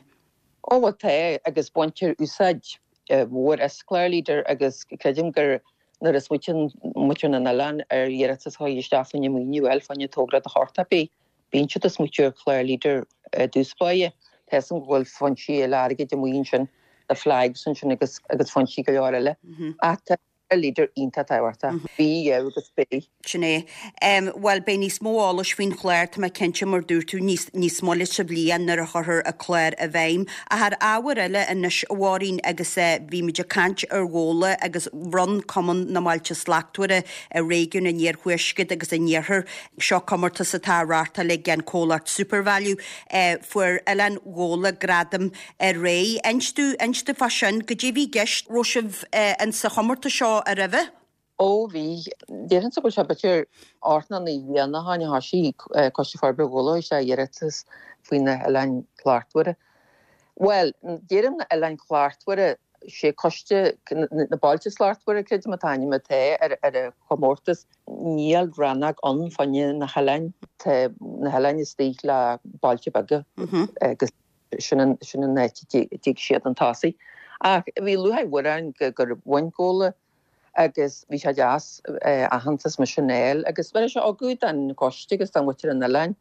Ó bhuel tá, agus baintear úsáid mhór as clár Leader agus creidim gur nuair a smaoitíonn muintir na n-oileán ar iarratas a chur isteach fá choinne maoiniú a fháil fá choinne togra de shórt ar bith, bíonn siad ag smaoitiú ar chlár Leader i dtús báire. Tá 'fhios a'm go bhfuil foinsí eile airgid amuigh ansin. na flags ansin agus agus foinsí go leor eile. Ach tá Leader iontach tábhachtach. Bhí, agus beidh. Sin é. Bhuel, beidh níos mó eolais faoin chlár, tá mé cinnte, mar dúirt tú, níos, níos moille sa bhliain nuair a chuirfear an clár i bhfeidhm. Ach ar ábhar eile anois, a Mháirín, agus bhí muid ag caint ar Ghabhla agus bhronn Cumann na mBailte Slachtmhara i réigiún an Iarthuaiscirt agus an Iarthair, seo comórtas atá á reáchtáil ag an comhlacht Supervalu, fuair Oileán Ghabhla gradam aréir. Inis domh, inis domh fá sin, goidé a bhí i gceist, raibh sibh in sa chomórtas seo roimhe? Ó bhí. Déarfainnse go bhfuil sé b'fhéidir ocht nó naoi mbliana ó shin a thoisigh Coiste Forbartha Ghabhla isteach iarratas faoi na hOileáin Shlachtmhara. Bhuel, deirim na hOileáin Shlachtmhara, sé Coiste na Bailte Slachtmhara, creidim an t-ainm atá ar an chomórtas. Níl rannóg ann fá choinne na hoileáin. Tá na hoileáin istigh le bailte beaga agus sin an áit a dtig siad chun tosaigh. Ach bhí lúcháir mhór orainn gur bhain Gabhla agus bhí sé deas aitheantas mar sin a fháil agus bheir sé ugachar don choiste agus do mhuintir an oileáin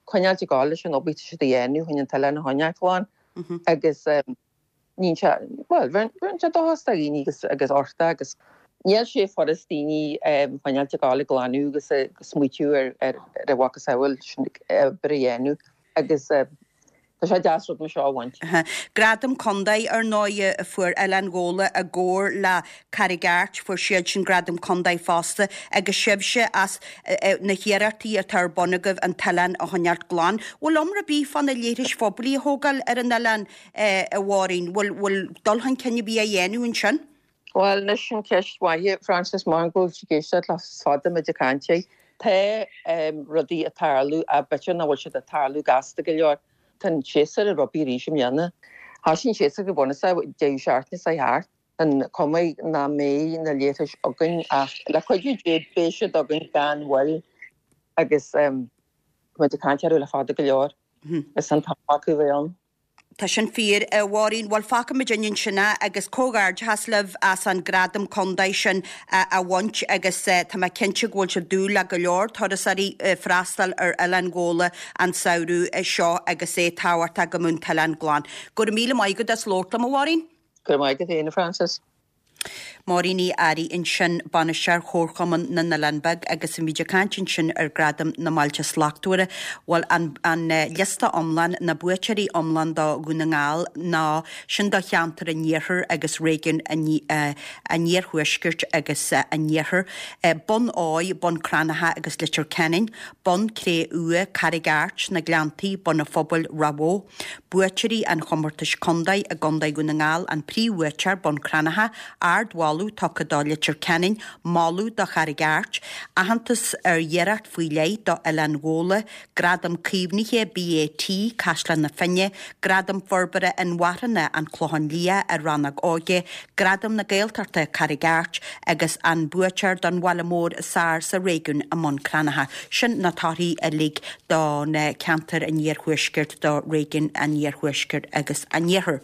coinneáilt ag gabháil leis an obair atá siad a dhéanamh chun an t-oileán a choinneáil glan agus níonn sé, bhuel, bheireann sé dóchas do dhaoine agus agus orthu agus níl sé furast daoine coinneáilt ag gabháil ag glanadh agus ag smaoitiú ar ar a mhacasamhail sin obair a dhéanamh agus tá sé deas rud mar seo a bhaint. Gradam Contae, ar ndóigh, a fuair Oileán Ghabhla i gcomhar le Carraig Airt, fuair siad sin Gradam Contae fosta, agus sibhse as na hiarrachtaí atá ar bun agaibh an t-oileán a choinneáilt glan. Bhfuil iomrá ar bith fá na leithris phoiblí a thógáil ar an oileán, a Mháirín? Bhfuil, bhfuil dul chun cinn ar bith á dhéanamh ansin? Bhuel, anois sin ceist mhaith, Frances, mar go bhfuil tú ag éisteacht le fada muid ag caint air. Tá rudaí ag tarlú ach b'fhéidir nach bhfuil siad ag tarlú gasta go leor. Tá an séasúr ag rugbaí arís i mbliana. Thosaigh an séasúr go bunúsach deireadh seachtaine seo thart. An cuma nach mbeidh na leithris againn ach le cuidiú Dé beidh siad againn gan mhoill agus tá muid ag caint orthu le fada go leor. Is an t-am acu a bheith ann. Tá sin fíor, a Mháirín. Bhuel, fágfaidh muid ansin é agus comhghairdeachas libh as an gradam contae sin a bhaint agus tá mé cinnte go bhfuil sibh ag dúil le go leor turasóirí freastal ar Oileán Ghabhla an samhradh seo agus é tábhachtach go mbeadh an t-oileán glan. Go raibh míle maith agat as labhairt liom, a Mháirín. Go raibh maith agat féin, a Frances. Máirín Uí Fhearraigh ansin, Bainisteoir Chomharchumann na nOileán Beag agus bhí muid ag caint ansin ar Gradam na mBailte Slachtmhara. Bhuel, an an liosta iomlán, na buaiteoirí iomlán do Dhún na nGall ná sin do cheantar an Iarthair agus réigiún an an Iarthuaiscirt agus an Iarthair. Bun Óidh, Bun Cranncha agus Leitir Ceanainn, Bun Cré-Umha, Carraig Airt, Na Gleanntaí, Bun an Phobail, Ráth Bhoth. Buaiteoirí an chomórtais contae i gContae Dhún na nGall, an príomhbhuaiteoir, Bun Cranncha, ardmholadh tugtha do Leitir Ceanainn, moladh do Charraig Airt, aitheantas ar iarracht faoi leith do Oileán Ghabhla, Gradam Caomhnaithe BAT, Caisleán na Finne, Gradam Forbartha Inmharthana, An Clochán Liath, i Rannóg Óige, Gradam na Gaeltachta, Carraig Airt, agus an buaiteoir don Bhaile Mór is Fearr sa réigiún i mBun Cranncha. Sin na torthaí uilig do na ceantair an iarthuaiscirt, do réigiún an iarthuaiscirt agus an iarthair.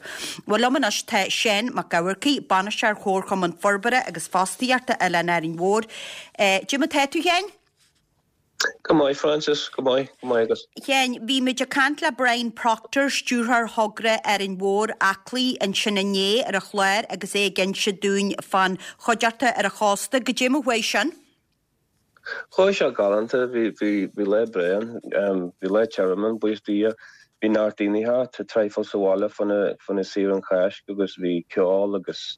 Bhuel, liom anois tá Seán Mac Eamharcaigh, Bainisteoir Chomharchumann Forbartha agus Fostaíochta Oileán Árainn Mhór. Cad é mar tá tú, a Sheáin? Go maith, Frances, go maith, go maith agat. Sheáin, bhí muid ag caint le Brian Proctor, Stiúrthóir Thogra Árainn Mhór, Aclaí, ansin inné ar an chlár agus é ag inse dúinn fán chuideachta ar an chósta. Goidé mar chuaigh sin? Chuaigh sé galánta, bhí, bhí, bhí lá breá ann, bhí lá tirim ann, buíochas do Dhia. Bhí neart daoine thart, tá traidhfil sa bhaile fá choinne, fá choinne saoire an Cháisc agus bhí ceol agus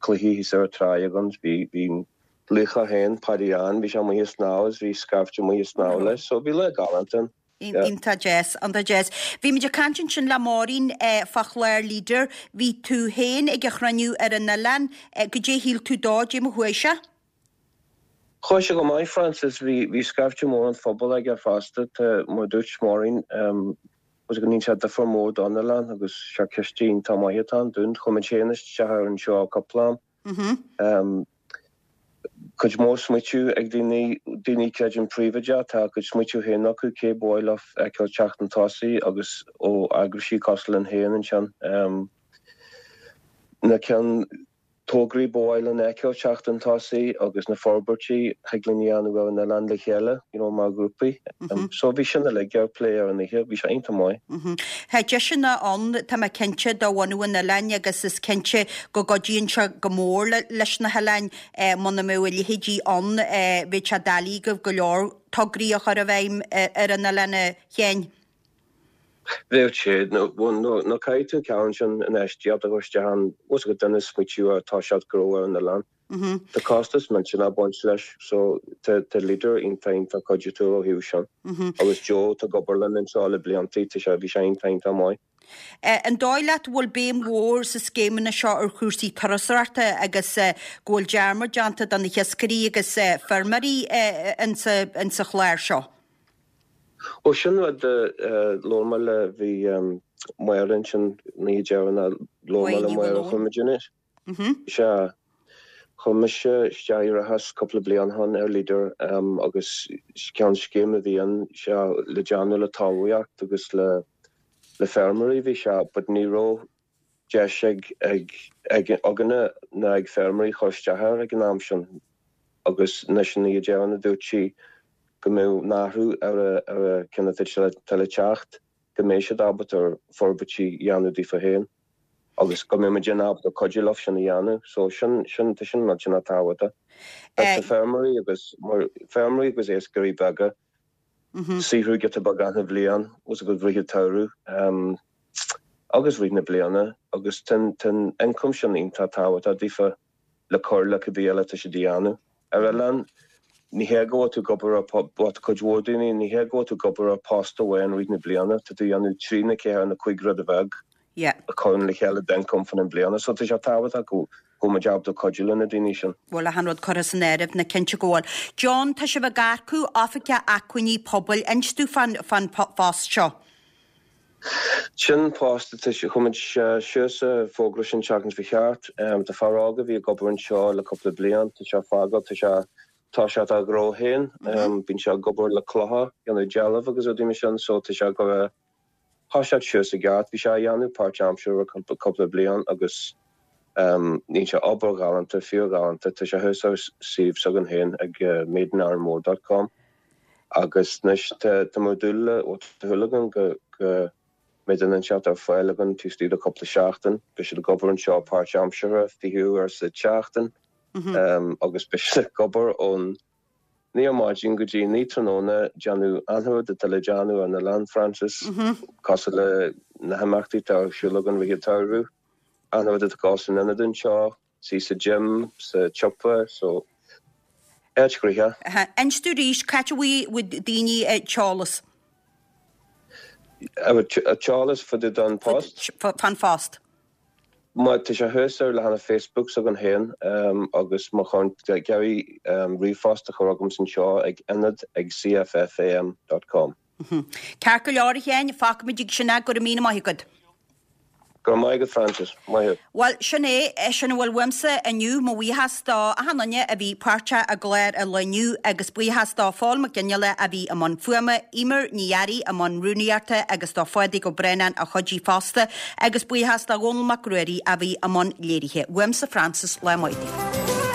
cluichí thíos ar an tráigh againn, bhí, bhí an laoch féin, Paddy Ann, bhí sé amuigh ag snámh agus bhí scaifte amuigh ag snámh leis, so bhí lá galánta ann. Yeah. Iontach deas, iontach deas. Bhí muid ag caint ansin le Máirín fá chlár Leader. Bhí tú féin ag an chruinniú ar an oileán. Goidé a shíl tú dó, goidé mar chuaigh sé? Chuaigh sé go maith, Frances. Bhí, bhí scaifte mór an phobail aige fosta. Tá, mar a dúirt Máirín, agus go ndéanann sé difear mór don oileán agus sé ciste iontach maith atá ann dúinn. Chuir muid féin isteach air anseo cúpla am. Cuid mhór smaoitiú ag daoine, daoine creideann príobháideach, tá a gcuid smaoitiú féin acu, cé ba mhaith leo feiceáil teacht chun tosaigh agus ó eagraisí cosúil linn féin ansin. Na ceann. tograí ba mhaith linn a fheiceáil teacht chun tosaigh agus na forbairtí a thig linn a dhéanamh ar an oileán le chéile, you know, mar ghrúpaí. So bhí sin uilig ar plé ar an oíche, bhí sé iontach maith. Tá deiseanna ann, tá mé cinnte, do bhunadh an oileáin agus is cinnte go gcuidíonn sé go mór leis na hoileáin. Muna mbeadh a leithéidí ann, bheadh sé doiligh agaibh go leor tograí a chur i bhfeidhm ar an oileán, a Sheáin. Bheadh sé, nó caithfidh tú an ceann sin infheistíocht a chur isteach ann, bhfuil fhios agat duine ag smaoitiú ar toiseacht gnó ar an oileán. Tá costas millteanach ag baint leis, so tá Leader iontach iontach cuidiúil ó thaobh sin. Agus Joe atá ag obair linn anseo le bliantaí, tá sé, bhí sé iontach iontach maith. An dóigh leat go bhfuil béim mhór sa scéimeanna seo ar chúrsaí turasóireachta agus go bhfuil dearmad déanta de na hiascairí agus feirmeoirí insa chlár seo? Ó sin rud a labhair mé le, bhí Máire ansin an oíche dheireanach, labhair mé le Máire, chuir muid in, sea, chuir mise isteach iarratas cúpla bliain ó shin ar Leader agus ceann scéim a bhí ann, sea, le déanamh le talmhaíocht agus le le feirmeoirí bhí sé but ní raibh deis ag ag ag againne ná ag feirmeoirí chur isteach air ag an am sin agus anois an oíche dheireanach dúirt sí go mbeadh an athrú ar a ar a ceann atá le teacht go mbeidh siad ábalta ar forbairtí a dhéanamh daofa féin agus go mbeidh muid ábalta cuidiú leo sin a dhéanamh so sin sin tá sin millteanach tábhachtach. Tá feirmeoirí agus feirmeoirí agus iascairí beaga saothrú giota beag achan bhliain bhfuil fhios agat rith an tsamhraidh agus rith na bliana agus tá an ioncam sin iontach tábhachtach daofa le cur le cibé eile atá siad a dhéanamh. Ar oileán, ní hé go bhfuil tú ag obair ar, bhuel tá cuid mhór daoine, ní hé go bhfuil tú ag obair ar post amháin rith na bliana, tá tú a dhéanamh trí nó ceathair nó cuig rud bheag. Yeah. a chuireann le chéile d'ioncam fan an bliana. So tá sé tábhachtach go bhfuil muid ábalta cuidiú le na daoine sin. bhfuil achan rud curtha san áireamh, ná cinnte go bhfuil. John, tá sibh ag earcú Oifigeach Acmhainní Pobail. Inis domh fán fán phost seo. Sin post atá, chuir muid suas an fógra sin seachtain seo thart. Tá fear óg a bhí ag obair anseo le cúpla bliain, tá sé ag fágáil, tá sé toiseacht a ghnó féin. Bíonn sé ag obair le clocha, déanamh dealbh agus rudaí mar sin so tá sé ag gabháil a thoiseacht suas i gceart. Bhí sé á dhéanamh páirt-aimseartha ar cúpla bliain agus dhein sé obair ghalánta, fíor-ghalánta. Tá sé thuas ar suíomh s'againn féin ag madeinarranmore dot com agus anois tá muid ag dúil le, bhuel tá súil againn go mbeidh duine inteacht ar fáil againn taobh istigh de cúpla seachtain. Beidh siad ag obair anseo páirt-aimseartha, 20 uair sa tseachtain agus beidh siad ag obair ón 9 ar maidin go dtí 9 tráthnóna, déanamh achan rud atá le déanamh ar an oileán, Frances, cosúil le na himeachtaí atá ar siúl againn rith an tsamhraidh, achan rud atá ag dul san ionad anseo, suí sa gym, sa tsiopa, so áit ghnoitheach. Inis domh arís, c'áit a bhfaighidh daoine an t-eolas? An t-eolas fá dtaobh den phost? Fán phost. Má tá sé thuas ar leathanach Facebook s'againn féin agus má chuireann tú ag iarraidh ríomhphost a chur chugamsa anseo ag ionad ag cffam dot com. Ceart go leor a Sheáin, fágfaimid ag sin é, go raibh míle maith agat. Go raibh maith agat Frances. Maith thú. Bhuel, sin é, sin a bhfuil uaimse inniu. Mo bhuíochas do achan duine a bhí páirteach i gclár an lae inniu agus buíochas do Phól Mac Fhionnghaile a bhí i mbun fuaime, Eimear Ní Fhearraigh i mbun rúnaíochta agus do Phádraig Ó Braonáin a chuidigh fosta agus buíochas do Dhónall Mac Ruairí a bhí i mbun léirithe. Uaimse Frances, lá maith daoibh.